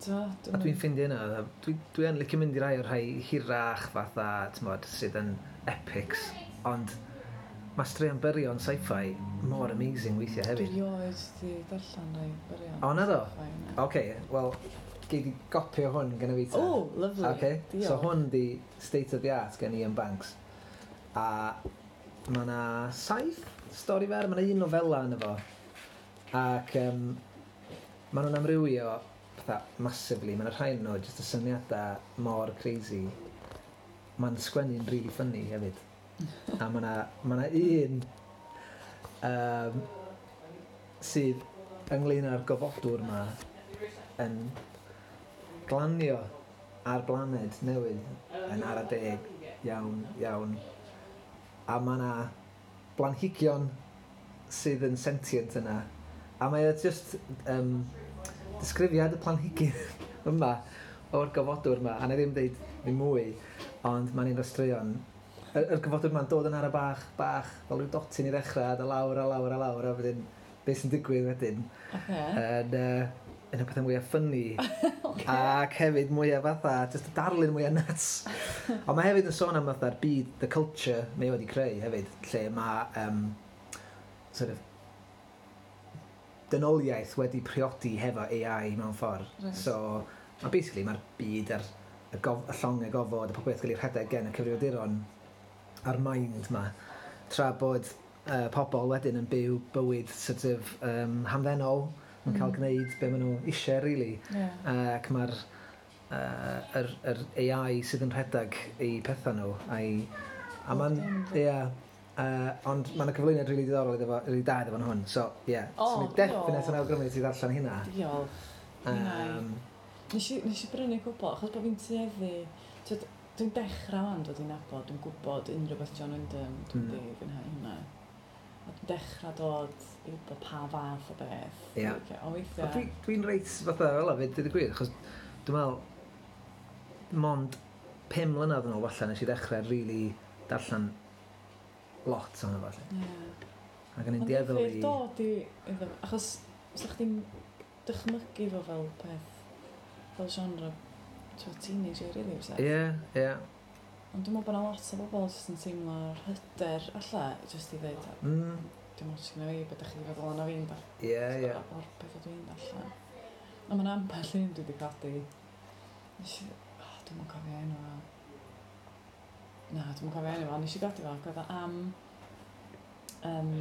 T'mo', a dwi'n ffeindio hynna, dwi, dwi yn licio mynd i rai o'r rhai hirach fatha, t'mod, sydd yn epics, ond mae straeon byrion sci-fi mor amazing weithiau Dwi hefyd. rioed di darllen rai byrion. O, na do? Sci-fi, na. Oce, wel, gei di gopio hwn gyda fi ta. O, lovely. Okay. Diolch. So hwn di State of the Art gen Iain Banks. A mae yna saith stori fer, mae yna un nofela yna fo. Ac um, maen nhw'n amrywio fatha massively. Mae yna rhai nhw jyst y syniadau mor crazy. Mae'n sgwennu'n really funny hefyd. A mae yna ma 'na un um, sydd ynglyn â'r gofodwr yma yn glanio ar blaned newydd yn ara deg iawn, iawn. A mae yna blanhigion sydd yn sentient yna. A mae o just um, disgrifiad y planhigyn yma o'r gofodwr yma. A na i ddim deud ddim mwy, ond mae'n un o'r straeon. Yr, yr gofodwr yma'n dod yn ara bach, bach, fel rhyw dotyn i ddechrau, a lawr a lawr a lawr, a wedyn beth sy'n digwydd wedyn Oce. yn, uh, yn y pethau mwyaf funny ac hefyd mwyaf fatha, just y darlun mwyaf nuts. Ond mae hefyd yn sôn am fatha'r byd, the culture mae wedi creu hefyd, lle mae um, sort of dynoliaeth wedi priodi hefo A I mewn ffordd. Reit. So, ma basically mae'r byd a'r y, gof, y llong y gofod, y popeth gael ei rhedeg gen y cyfrifiaduron a'r mind ma, tra bod uh, pobl wedyn yn byw bywyd sort of um, hamddenol, yn cael Mm. gwneud be maen nhw eisiau, really. Ie. Ac mae'r uh, yr, yr A I sydd yn rhedeg eu pethau nhw. A'i, a Bob ma'n, dim, yndi. ie, uh, ond mae'n cyflwyniad rili diddorol iddo fo, rili da iddo fo yn hwn. So, ie, yeah. O, so, ni definite diolch. yn awgrymu ti ddarllen hynna. Diolch. Hynna. Um, Nes i, nes i brynu cwbl, achos bod fi'n tueddu. T'wod, dwi'n dechrau wan dod i nabod, dwi'n gwybod unrhyw beth John Wyndham, dwi'n Mm. mm. di fwynhau hynna. A dwi'n dechrau dod i wybod pa fath o beth. Ie. Dwi'n licio. Ond Ond weithiau. dwi, dwi'n reit fatha fel 'a fyd, dweud y gwir, achos dwi'n meddwl, mond pum mlynedd yn ôl falle nes i ddechrau really darllen lot ohono fo. Felly. Ie. Ac o'n i'n Ond dueddol difyr i. dod i iddo fo, achos sa chdi'n dychmygu fo fel peth, fel genre, ti'n teenager, really, fysa? Ie, ie. Ond dwi'n meddwl bod 'na lot o bobl jyst yn teimlo'r hyder alla, jyst i ddweud, Mm, Dim ots gyda fi, beth ydych chi'n feddwl yna fi'n darllen. Ie, ie. O'r pethau dwi'n darllen. Ond mae'n ambell un dwi wedi codi. Nes i... Oh, dwi'm yn cofio enw fo. Na, dwi'm yn cofio enw fo. Nes i godi fo, ac oedd o am um,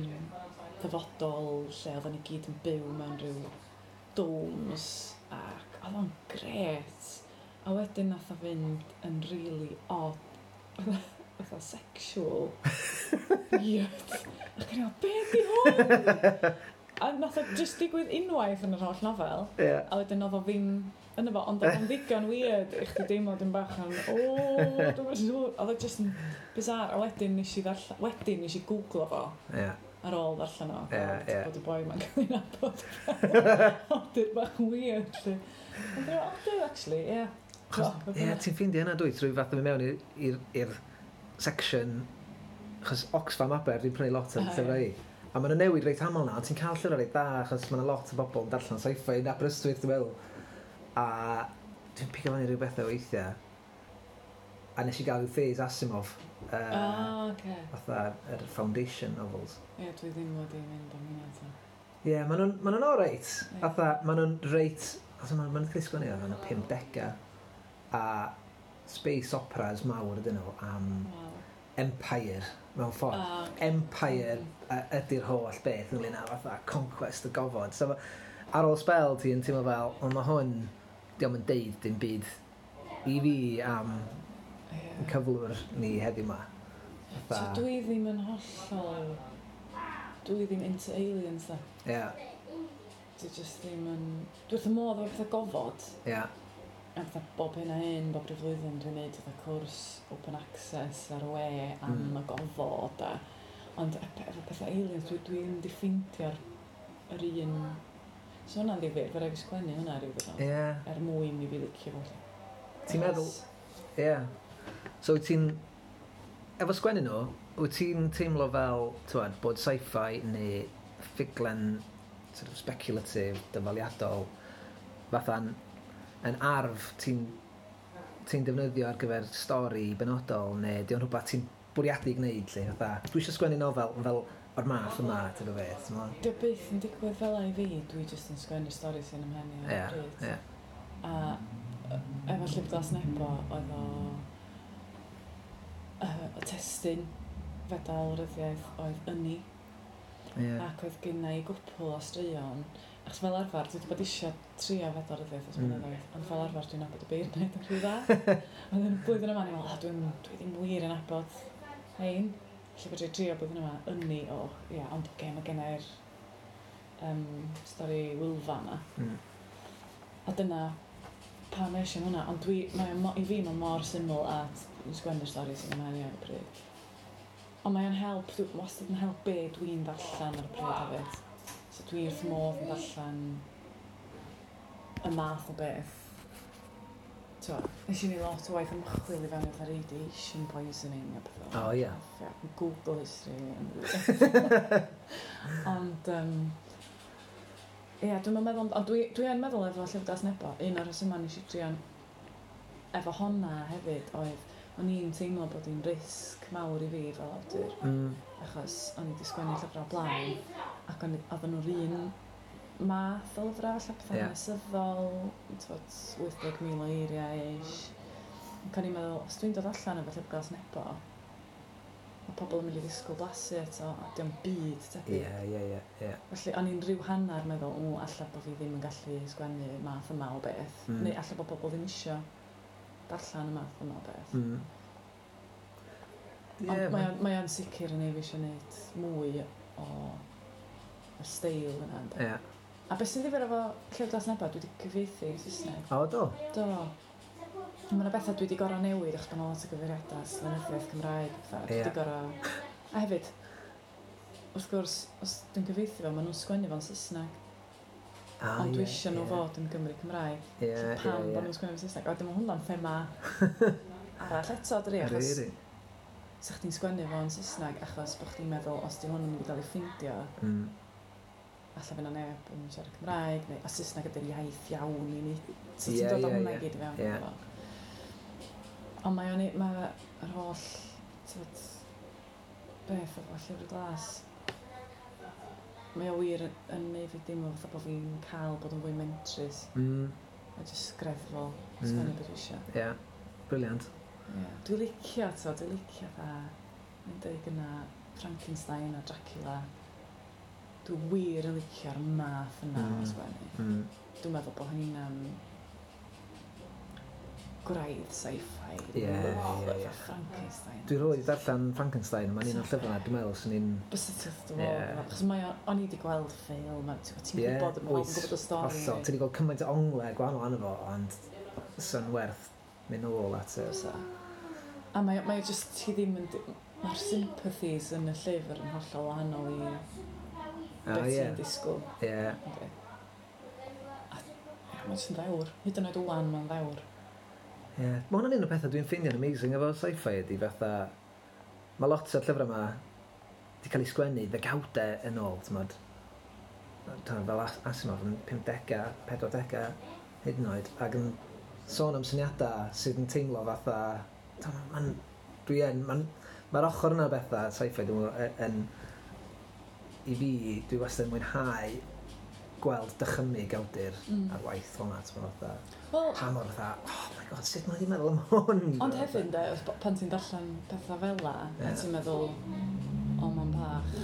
ddyfodol lle oedden ni gyd yn byw mewn rhyw domes ac oedd o'n gret. A wedyn nath o fynd yn really odd. Fatha sexual. Weird. Ac o'n i'n meddwl, be di hwn? A nath o just digwydd unwaith yn yr holl nofel. Ie. A wedyn oedd o ddim yn efo, ond oedd o'n ddigon weird i chdi deimlo dim bach yn, o, dwi'n yn siŵr. Oedd o just yn bizarre. A wedyn nes i ddarllen, wedyn nes i googlo fo Ie. ar ôl ddarllen o. Ie, ie. Bod y boi ma'n cael ei nabod fel awdur bach yn weird. Lle. Ond dwi'n awdur, actually, ie. Achos, O, ie, ti'n ffeindio hynna dwi, trwy fath o mynd mewn i'r- i'r i'r section, achos Oxfam Aber, dwi'n prynu lot o'n Ah, llyfrau ie. i. A maen nhw'n newid reit aml na, ond ti'n cael llyfrau reit dda, achos mae yna lot o bobl yn darllen sci-fi yn Aberystwyth, dwi'n meddwl. A dwi'n pigo fyny rhyw bethau weithiau. A nes i gael rhyw phase Asimov, uh, Ah, oce. fatha yr Foundation novels. Ie, dwi ddim wedi mynd am hynna eto. Ie, yeah, maen nhw'n ma nhw'n oreit. Ie. Fatha, maen nhw'n reit... Fatha, maen nhw'n cael eu sgwennu yn y pumdegau. A space operas mawr ydyn nhw am Waw. Empire, mewn ffordd. Ah, ocê. Empire uh, ydy'r holl beth ynglyn â fatha conquest y gofod. So, ar ôl spel ti'n teimlo fel, ond mae hwn, diolch yn deud dim byd i fi am Ie. cyflwr ni heddiw ma. So Fatha, dwi ddim yn hollol... Dwi ddim into aliens, da. ie, Dwi just ddim yn... Dwi wrth y modd efo pethau gofod. ie, A fatha bob hyn a hyn, bob rhyw flwyddyn, dwi'n neud fatha cwrs open access ar y we am Mm. y gofod. A, ond e- efo pethau aliens, dwi, dwi ddim wedi ffeindio'r yr un... So hwnna'n ddifyr, fe raid fi sgwennu hwnna rhyw ddiwrnod. ie. Er mwyn i fi licio fo. Ti'n meddwl, ie. So wyt ti'n, efo sgwennu nhw, wyt ti'n teimlo fel, t'wod, bod sci-fi neu ffuglen sort of speculative, dyfaliadol, fatha'n yn arf ti'n ti'n defnyddio ar gyfer stori benodol, neu di o'n rhywbeth ti'n bwriadu gwneud, lle, fatha, dwi eisiau sgwennu nofel fel o'r math yma, ti'n o beth, ti'n meddwl? Dio byth yn digwydd fel i fi, dwi jyst yn sgwennu stori sy'n ym mhen i ar Ie, y pryd. ie. A yy, efo Llyfr Glas Nebo, oedd o uh, y testun fedal ryddiaeth oedd ynni Ie. ac oedd gynna i gwpl o straeon achos fel arfer dwi wedi bod eisiau trio fedal ryddiaeth ers Mm. blynyddoedd ond fel arfer dwi'n nabod y beirniaid yn rhy dda. Ond yn y blwyddyn yma, ni'n meddwl, oh, dwi'n, dwi ddim wir yn nabod hein. Felly fedra i trio blwyddyn yma ynni o, ia, ond oce, okay, mae gennai'r um, stori Wylfa yma. Mm. A dyna pam es i am hwnna, ond dwi, mae o mo, i fi mae mor syml a t- sgwennu'r stori sy'n ymlaen i ar y pryd. Ond mae o'n help, dwi wastad yn help be dwi'n ddarllen ar y pryd hefyd. So dwi wrth modd yn darllen y math o beth. T'wo, nes i ni lot o waith ymchwil i fewn i fatha radiation poisoning a pethau. O, ie. Ie, Google history. Ond, um, ie, dwi'n meddwl, ond dwi, dwi yn meddwl efo Llyfr Glas Nebo, un o'r rhesymau nes i drio efo honna hefyd oedd, o'n i'n teimlo bod hi'n risg mawr i fi fel awdur, Mm. achos o'n i wedi sgwennu llyfrau blaen, ac o'n i- oedden nhw'r un math o lyfrau, falle pethau Ie. yeah. hanesyddol, t'wod, wyth deg mil o eiriau ish. Ac o'n i'n meddwl, os dwi'n dod allan efo Llyfr Glas Nebo, mae pobl yn mynd i ddisgwyl blasu eto, a dio'm byd tebyg. Ie, ie, ie, ie. Felly, o'n i'n rhyw hanner meddwl, o, alla bod fi ddim yn gallu sgwennu math yma o beth. Mm. Neu alla bod pobl ddim isio darllen y math yma o beth. Mm. Ond Ie, mae o'n, mae o'n sicr yn ei fi eisiau gwneud mwy o y steil yna. Ynddo. Ie. A beth sy'n ddifyr efo Llyfr Glas Nebo, dwi wedi cyfieithu i Saesneg. O, do? Do. Mae yna bethau dwi wedi gorau newid achos bod yna lot o gyfeiriadau lenyddiaeth Cymraeg. Pethau. Dwi Ie. wedi gorau... A hefyd, wrth gwrs, os dwi'n cyfieithu fo, maen nhw'n sgwennu fo'n Saesneg. Ah, Ond dwi ie, eisiau nhw ie. fod yn Gymru Cymraeg. Ie, So ie, pam ie. bod nhw'n sgwennu fo'n Saesneg? A wedyn mae hwnna'n thema arall eto, dydi? Achos Ydi, ydi. sa chdi'n sgwennu fo'n Saesneg achos bod chdi'n meddwl os di hwn yn mynd i gael ei ffindio, Mm. alla fydd 'na neb yn siarad Cymraeg, neu a Saesneg ydy'r iaith iawn i ni. So Ie, ti'n dod â ie, hwnna i ie. gyd i fewn. Ie. iddo fo. Ond mae o'n i, mae yr holl, t'wod, beth efo Llyfr Glas, Mae o wir yn, yn neud fi deimlo fatha bod fi'n cael bod yn fwy mentrus Mm. a jyst greddfol, Mm. sgwennu beth dwi eisiau. Ie. Yeah. Brilliant. Yeah. Dwi'n licio, to, dwi'n licio dda, mae'n dweud gyna Frankenstein a Dracula. Dwi wir yn licio'r math yna Mm. o sgwennu. Mm. Dwi'n meddwl bod hynny'n gwraidd sci-fi. Ie, ie, ie. Frankenstein. Dwi 'rioed darllen Frankenstein, mae'n un o'r llyfrau na, dwi'n meddwl, sy'n un Bysa ti'n dod Ie. Achos mae o, o'n i wedi gweld ffilm, a ti'n ti'n Ie, gwybod, mae pawb yn oes, gwybod y stori. Hollol. Ti wedi gweld cymaint o onglau gwahanol arno fo, ond sy'n werth mynd nôl at y Bysa. A mae, mae o just, ti ddim yn... Mae'r sympathies yn y llyfr yn hollol wahanol i Ah, beth ie. ti'n disgwyl. Ie. Yndi. A ie, mae'n jyst yn ddewr. Hyd yn oed wan, mae'n ddewr. Ie. Mae hwnna'n un o'r pethau dwi'n ffeindio'n amazing efo sci-fi ydy fatha... Mae lot o'r llyfrau yma wedi cael ei sgwennu ddegawdau yn ôl, ti'n fel As- Asimov yn pumdegau, pedwardegau, hyd yn oed, ac yn sôn am syniadau sydd yn teimlo fatha... Mae'n... Dwi yn... Mae'n... Mae'r ochr yna o bethau sci-fi, dwi'n meddwl, y- yn... I fi, dwi wastad yn mwynhau gweld dychymyg awdur Mm. ar waith fel yna, ti'n meddwl, fatha, Wel, pa mor fatha, "Oh my God, sut mae wedi meddwl am hwn?" Ond hefyd, de, os- pan ti'n darllen pethau fel la, a Ie. ti'n meddwl, "O, mae'n bach,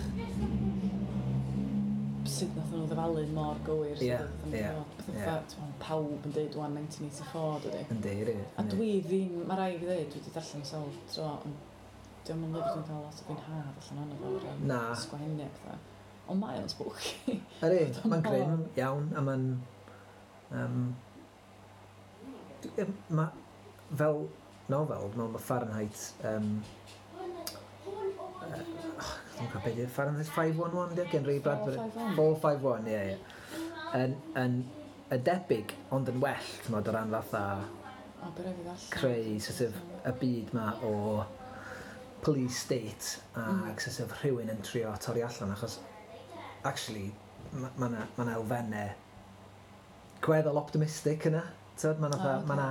sut nath nhw ddyfalu mor gywir?" Sut Ie, oedd o'n ie, dod. Pethau ie. fatha, t'mo', pawb yn deud wan nineteen eighty-four, dydy. Yndi, yndi. A dwi ddim, mae rhaid fi ddeud, dwi wedi darllen sawl tro, ond dio'm yn lyfr dwi'n cael lot o fwynhad allan ohono fo, o ran Na. sgwennu a pethau. Ond mae o'n spooky. Ydy, mae'n grim iawn, a mae'n... Um, ma, fel nofel, dwi'n meddwl mae Fahrenheit... Um, uh, oh, dwi'n cofio beth yw Fahrenheit five one one, di, gen Ray Bradbury. four five one. four five one, ie, ie. Yn, yn, y debyg, ond yn well, ti'n meddwl, o ran fatha O, be rhaid fi ddarllen. creu sort of, y byd ma o police state a mm. sort of rhywun yn trio torri allan, achos actually mae ma 'na ma 'na elfennau gweddol optimistic yna, t'od? Ma' 'na O, fatha- ocê. ma' 'na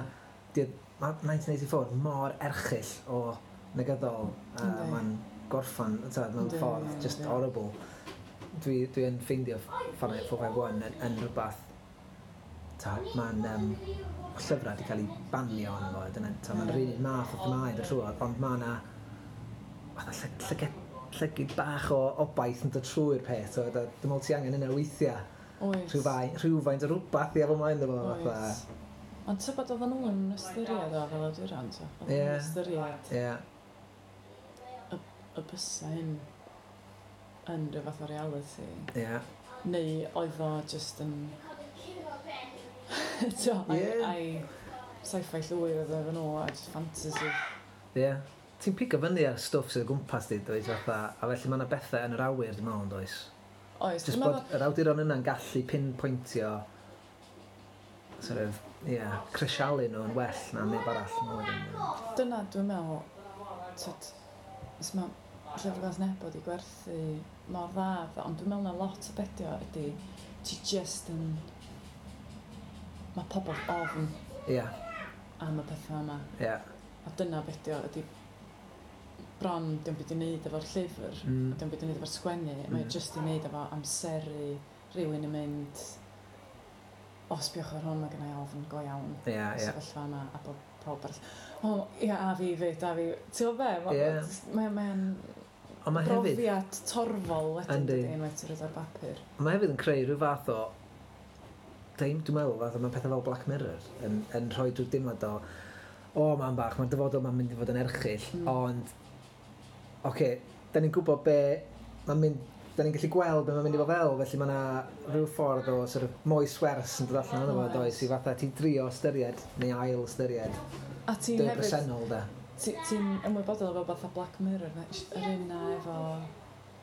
di- ma' nineteen eighty-four mor erchyll o negyddol a Yndi. mae'n gorffan, t'od, mewn Yndi, ffordd yndi. just horrible. Dwi, dwi yn ffeindio Fahrenheit four five one yn, yn rhywbeth, t'od, mae'n um, llyfrau wedi cael ei banio arno fo, dyna, t'od, mae'n Ie. yr un math o themâu yn dod trwodd, ond mae yna fatha lly- llyged, llygyd bach o obaith yn dod trwy'r peth, t'od, a dwi'n meddwl ti angen yna weithiau, Oes. rhywfaint, rhywfaint o rhywbeth i efo mlaen iddo fo, fatha. Oes. Ond tybed oedden nhw'n ystyried o fel awduron, to? Oedden Ie. nhw'n ystyried Ie, y bysa hyn yn rhyw fath o reality? ie. Neu oedd o just yn... T'o, ai, Ie. ai sci-fi llwyr oedd o efo nhw, a just fantasy. Ie. Ti'n pigo fyny ar stwff sydd o gwmpas di, dweud, fatha, a felly mae yna bethau yn yr awyr, dwi'n meddwl, yn does? Oes, Just dwi'n bod meddwl yr awduron yna'n gallu pinpointio sort of, ie, yeah, crisialu nhw yn well na neb arall. Dwi'n meddwl. Dyna dwi'n meddwl, tyd, os mae Llyfr Glas Nebo wedi gwerthu mor dda, ond dwi'n meddwl na lot o bedio ydy, ti just yn... Mae pobl ofn Ie, am y pethau yma. ie. A dyna bedio ydy bron dim byd i wneud efo'r llyfr, Mm. dim byd i wneud efo'r sgwennu, mm. mae Mm. just i wneud efo amseru rhywun yn mynd, "O, sbiwch ar hwn, mae gennau ofn go iawn Ie, ie. sefyllfa yma," a bod pawb arall, "O, ia, a fi fyd, a fi," ti'n gwybod be? Ma- Ie. Mae mae'n Ond mae hefyd, brofiad torfol wedyn, Yndi. dydy, unwaith ti'n rhoi ar bapur. Mae hefyd yn creu rhyw fath o, Dwi'n dwi'n meddwl, fatha mae pethau fel Black Mirror yn, yn rhoi drwy'r dimlad o, o, man bach, mae'r dyfodol ma'n mynd i fod yn erchyll, Mm. ond, oce, okay, da ni'n gwybod be mae'n mynd, da ni'n gallu gweld be mae'n mynd i fod fel, felly mae yna rhyw ffordd o sort of moes wers yn dod allan ohono fo, Oes. does, i fatha ti drio ystyried, neu ail ystyried, A ti'n dy hefyd, bresennol, da. ti- ti'n ymwybodol efo fatha Black Mirror, na- yr un na efo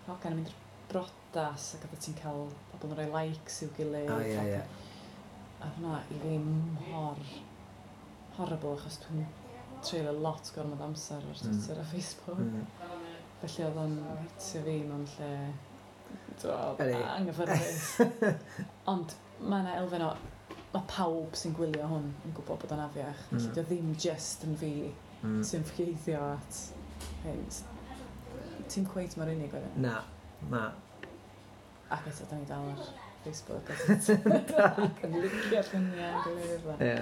hogan yn mynd i'r brodas ac oedd ti'n cael pobl yn rhoi likes i'w gilydd. O, ie, ie. A hwnna i fi mor horrible achos dwi'n treulio lot gormod amser ar Mm. Twitter a Facebook. Mm. Felly oedd o'n hitio fi mewn lle, t'wod, Ydi. anghyffyrddus. Ond mae yna elfen o, mae pawb sy'n gwylio hwn yn gwybod bod o'n afiach. Mm. Felly mm. ddim just yn fi Mm. sy'n ffieiddio at hyn. Ti'n cweit mor unig wedyn. Na, na. A Ac eto, da ni dal ar Facebook. Ac yn licio lluniau yn gilydd. Ie.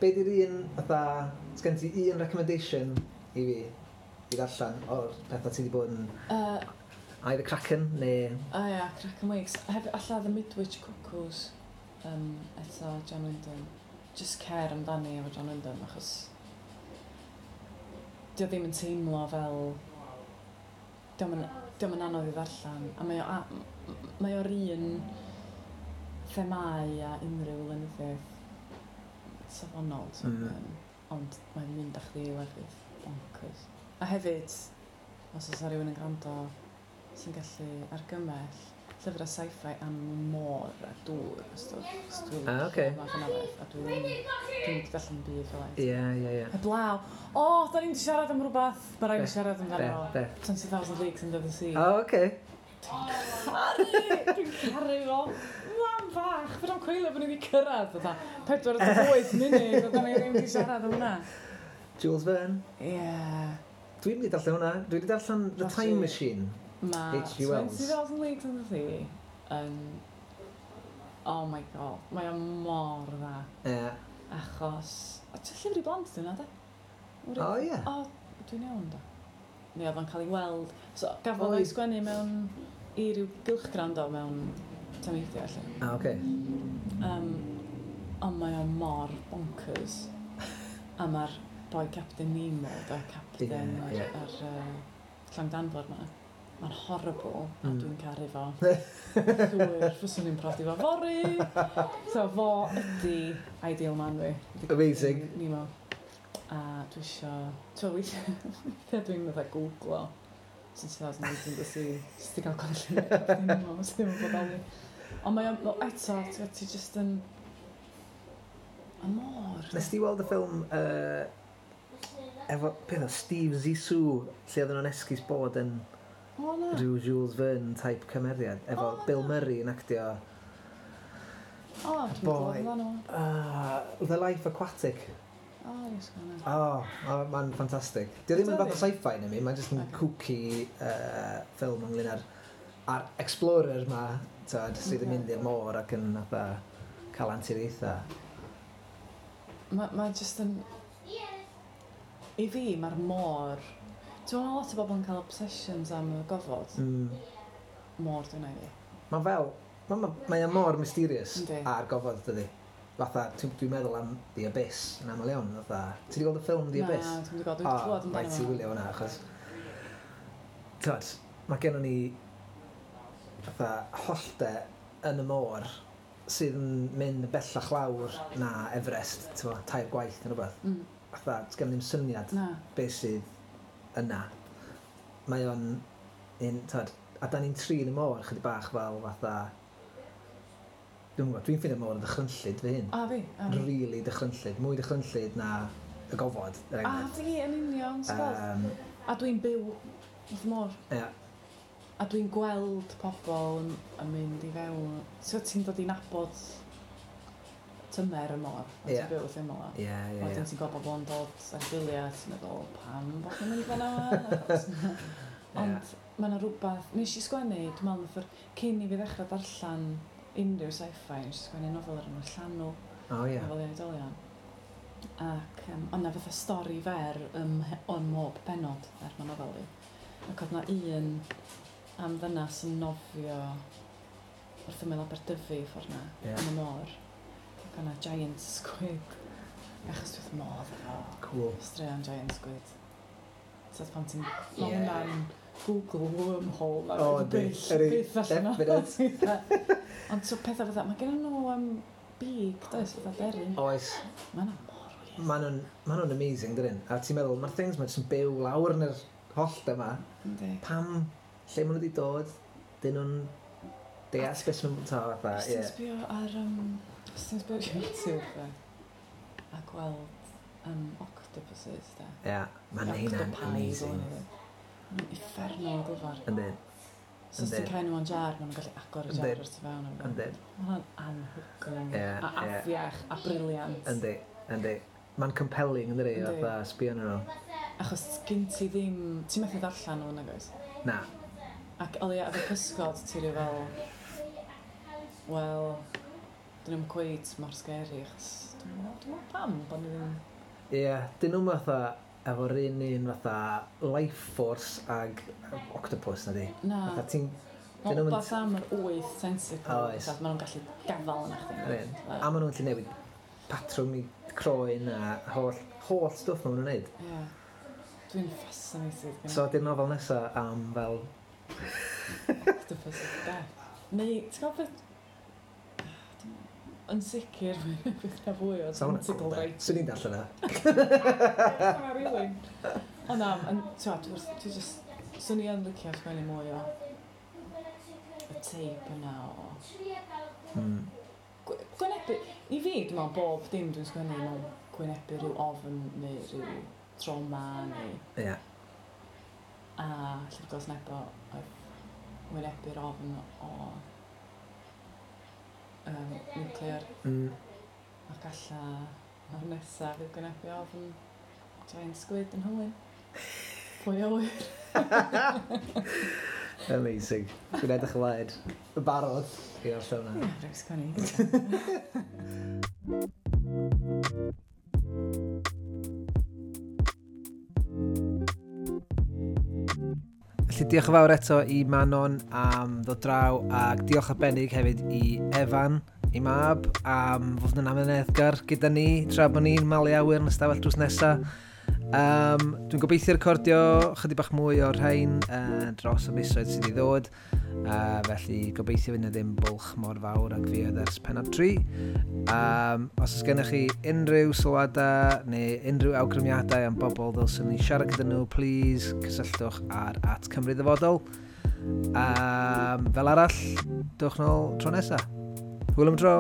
Be di'r un, fatha, sgen ti un recommendation i fi i ddarllen o'r pethau ti wedi bod yn Uh, either Kraken neu... O ia, Kraken Wakes. Hefyd, alla The Midwich Cuckoos, um, eto John Wyndham. Just cer amdani efo John Wyndham, achos dio ddim yn teimlo fel... Dio'm yn, dio'm yn anodd i ddarllen. A mae o, a, m- mae o'r un themau a unrhyw lenyddiaeth safonol. So, Mm. um, ond mae'n mynd â chdi i lefydd bonkers. A hefyd, os oes rhywun yn gwrando sy'n gallu argymell llyfrau sci-fi am môr a dŵr a stwff. Achos dwi'n Ah, licio ocê. math yna beth, a dwi'n dwi'n wedi darllen byd fel Ie, ie, ie. Heblaw, o, da ni'n siarad am rhywbeth, mae rhaid Be? i siarad Be, amdano fo. be? twenty thousand Leagues Under the Sea. O, oce. Caru! Dwi'n caru fo. Mam fach, fedrai'm coelio bod ni wedi cyrraedd fatha pedwar deg wyth munud, a da ni ddim wedi siarad am hwnna. Jules Verne. Ie. Dwi'n wedi darllen hwnna. Dwi wedi darllen The Felly- Time Machine. Mae H G. Wells. twenty thousand Leagues Under the Sea yn... Oh my God, mae o mor dda. Ie. Achos... O, ti'n llyfr i blant dyn de? O, ie. O, dwi'n iawn da. Neu oedd o'n cael ei weld. So, gafodd Oedd. o'i sgwennu mewn i ryw gylchgrawn do mewn tameidiau, lle. Ah, oce. Um, ond mae o mor bonkers. A mae'r boi Captain Nemo, da, Captain Ie, ie. ar, ar uh, llong danfor ma. Mae'n horrible, a Mm. dwi'n caru fo. Llwyr, fyswn i'n prodi fo fory. So fo ydi ideal man fi. Ydi Amazing. Captain Nemo. A dwi isio... Ti'n weithiau, weithiau dwi'n meddwl googlo twenty thousand Leagues Under the Sea. Jyst i gael gweld lluniau Captain Nemo, sydd ddim yn bodoli. Ond mae o, no, eto, ti'n gwbod, ti just yn... Y môr. Nes ti weld y ffilm uh, efo, beth o, Steve Zissou, lle oedden nhw'n esgus bod yn O, na. rhyw Jules Verne type cymeriad, efo O, Bill na. Murray yn actio O, dwi'n Boi. gwybod amdano. uh, The Life Aquatic. O, yes, gwna. O, oh, mae'n ffantastig. Dio ddim yn fath o sci-fi neu mi, mae'n just yn Ocê. kooky uh, ffilm ynglyn â'r ar explorer ma, tyd, sydd yn Ocê. mynd i'r môr ac yn fatha cael anturiaethau. Mae ma just yn... I fi, mae'r môr... Ti'n meddwl lot o bobl yn cael obsessions am y gofod? Mm. Môr dwi'n ei fi. Mae fel, mae ma, mae o mor mysterious Yndi. ar gofod, dydi. Fatha, dwi'n dwi meddwl am The Abyss yn aml iawn. Fatha, ti wedi gweld y ffilm The Abyss? Na, dwi'n gweld, dwi'n O, clywed amdano rhaid ti fo. wylio hwnna, achos... Tyd, mae gennon ni fatha hollte yn y môr sydd yn mynd bellach lawr na Everest, ti'n bo, tair gwaith neu rhywbeth. Mm, Fatha, sgen ddim syniad na. beth sydd yna. Mae o'n un, tyd, a da ni'n trin y môr chydig bach fel fatha... Dwi'n gwybod, dwi'n ffeindio môr yn ddychrynllyd fy hun. A fi, a fi. Really dychrynllyd, mwy dychrynllyd na y gofod, er A enghraifft. fi, yn union, ti'n gweld? Um, A dwi'n byw wrth y môr. Ie. A dwi'n gweld pobl yn, yn mynd i fewn. So ti'n dod i nabod tymer y môr. A Ie. ti'n byw wrth ymyl o. Ie, ie, Wedyn ie. ti'n gweld bobl yn dod ar gwyliau, ti'n meddwl, pam bod nhw'n mynd fan'na? Achos- Ond mae yna rhywbeth, nes i sgwennu, dwi'n meddwl, nath yr- cyn i fi ddechrau darllen unrhyw sci-fi, nes i sgwennu nofel ar enw Llanw, O, ie. nofel i oedolion. Ac um, o'na fatha stori fer ym, ym mhob pennod ar ma nofel i. Ac oedd na un am ddynas yn nofio wrth ymyl Aberdyfi ffordd na, Ie. yn y môr. Ac o'na giant squid. Achos dwi wrth modd efo Cool. straeon giant squid. So pan ti'n... Mae Ie. hwnna'n Google wormhole. Ma' O, byth- yndi. Ydi, byth allan o. definite. Ond so pethau fatha, mae gen nhw um, big, does, fatha deryn. Oes. Mae yna mor weird. Maen nhw'n ma nhw'n amazing, dydyn? A ti'n meddwl, mae'r things ma jyst yn byw lawr yn yr hollt yma. Yndi. Pam, lle maen nhw wedi dod, dyn nhw'n deall beth maen nhw'n ta, fatha, Os ti'n ie. sbio ar, um, os ti'n sbio ar YouTube, de, a gweld um, octopuses, de. Ie, mae'n hynna'n Octopi, amazing. ddylen nhw. Ma'n uffernol o glyfar. Yndyn, So os ti'n Yndyn. cael nhw yn jar, maen nhw'n gallu agor y jar Yndyn. o'r tu fewn. Yndyn, Mae hwnna'n anhygoel. Ie, A ie. afiach, a brilliant. yndi, yndi. Mae'n compelling, yndi, Yndi. fatha sbio arnyn nhw. Achos gyn ti ddim... Ti'n methu darllen nhw, nag oes? Na, Ac o leia efo pysgod, ti rhyw fel, wel, dyn nhw'n cweit mor scary, achos dwi'n meddwl, dwi'n meddwl pam bod ni ddim. Ie, yeah, dyn nhw'n fatha efo'r un un fatha life force ag octopus na di. Na. Fatha ti'n. Mae'n wbath am yr wyth tentacle, Oes. fatha, maen nhw'n gallu gafal yna chdi. Yr un. A maen nhw'n gallu newid patrwm i croen a holl, holl stwff maen nhw'n neud. Ie. Dwi'n fascinated gan So, di'r nofel nesa am fel octopus of death. Neu, ti'n gwybod beth? Yn sicr, bydd na fwy o Sa hwnna'n tentacle cool, de. writing. Swn i'n darllen yna. Na, really. Ond na, yn, ti'n gwbod, dwi just, swn i yn licio sgwennu mwy o y teip yna o Mm. Gw- Gwynebu, i fi, dwi'n meddwl bob dim dwi'n sgwennu mewn gwynebu rhyw ofn neu rhyw trauma neu Ie. Yeah. A Llyfr Glas Nebo oedd wynebu'r ofn o um, nuclear Mm. ac alla o'r nesaf fydd gwynebu ofn giant squid yn Hywyn. Pwy a wyr? Amazing. Dwi'n edrych ymlaen. Y barod i orffen hwnna. Ie, rhaid sgwennu. Felly diolch yn fawr eto i Manon am ddod draw ac diolch arbennig hefyd i Efan, i mab, am fod yn amyneddgar gyda ni tra bod ni'n malu awyr yn ystafell drws nesa. Um, dwi'n gobeithio recordio chydig bach mwy o'r rhain uh, dros y misoedd sydd i ddod. Uh, felly gobeithio fydd yna ddim bwlch mor fawr ag fi oedd ers pennod tri. Um, os oes gennych chi unrhyw sylwadau neu unrhyw awgrymiadau am bobl ddylswn ni siarad gyda nhw, please cysylltwch ar at Cymru Ddyfodol. Um, fel arall, dewch nôl tro nesaf. Hwyl am dro!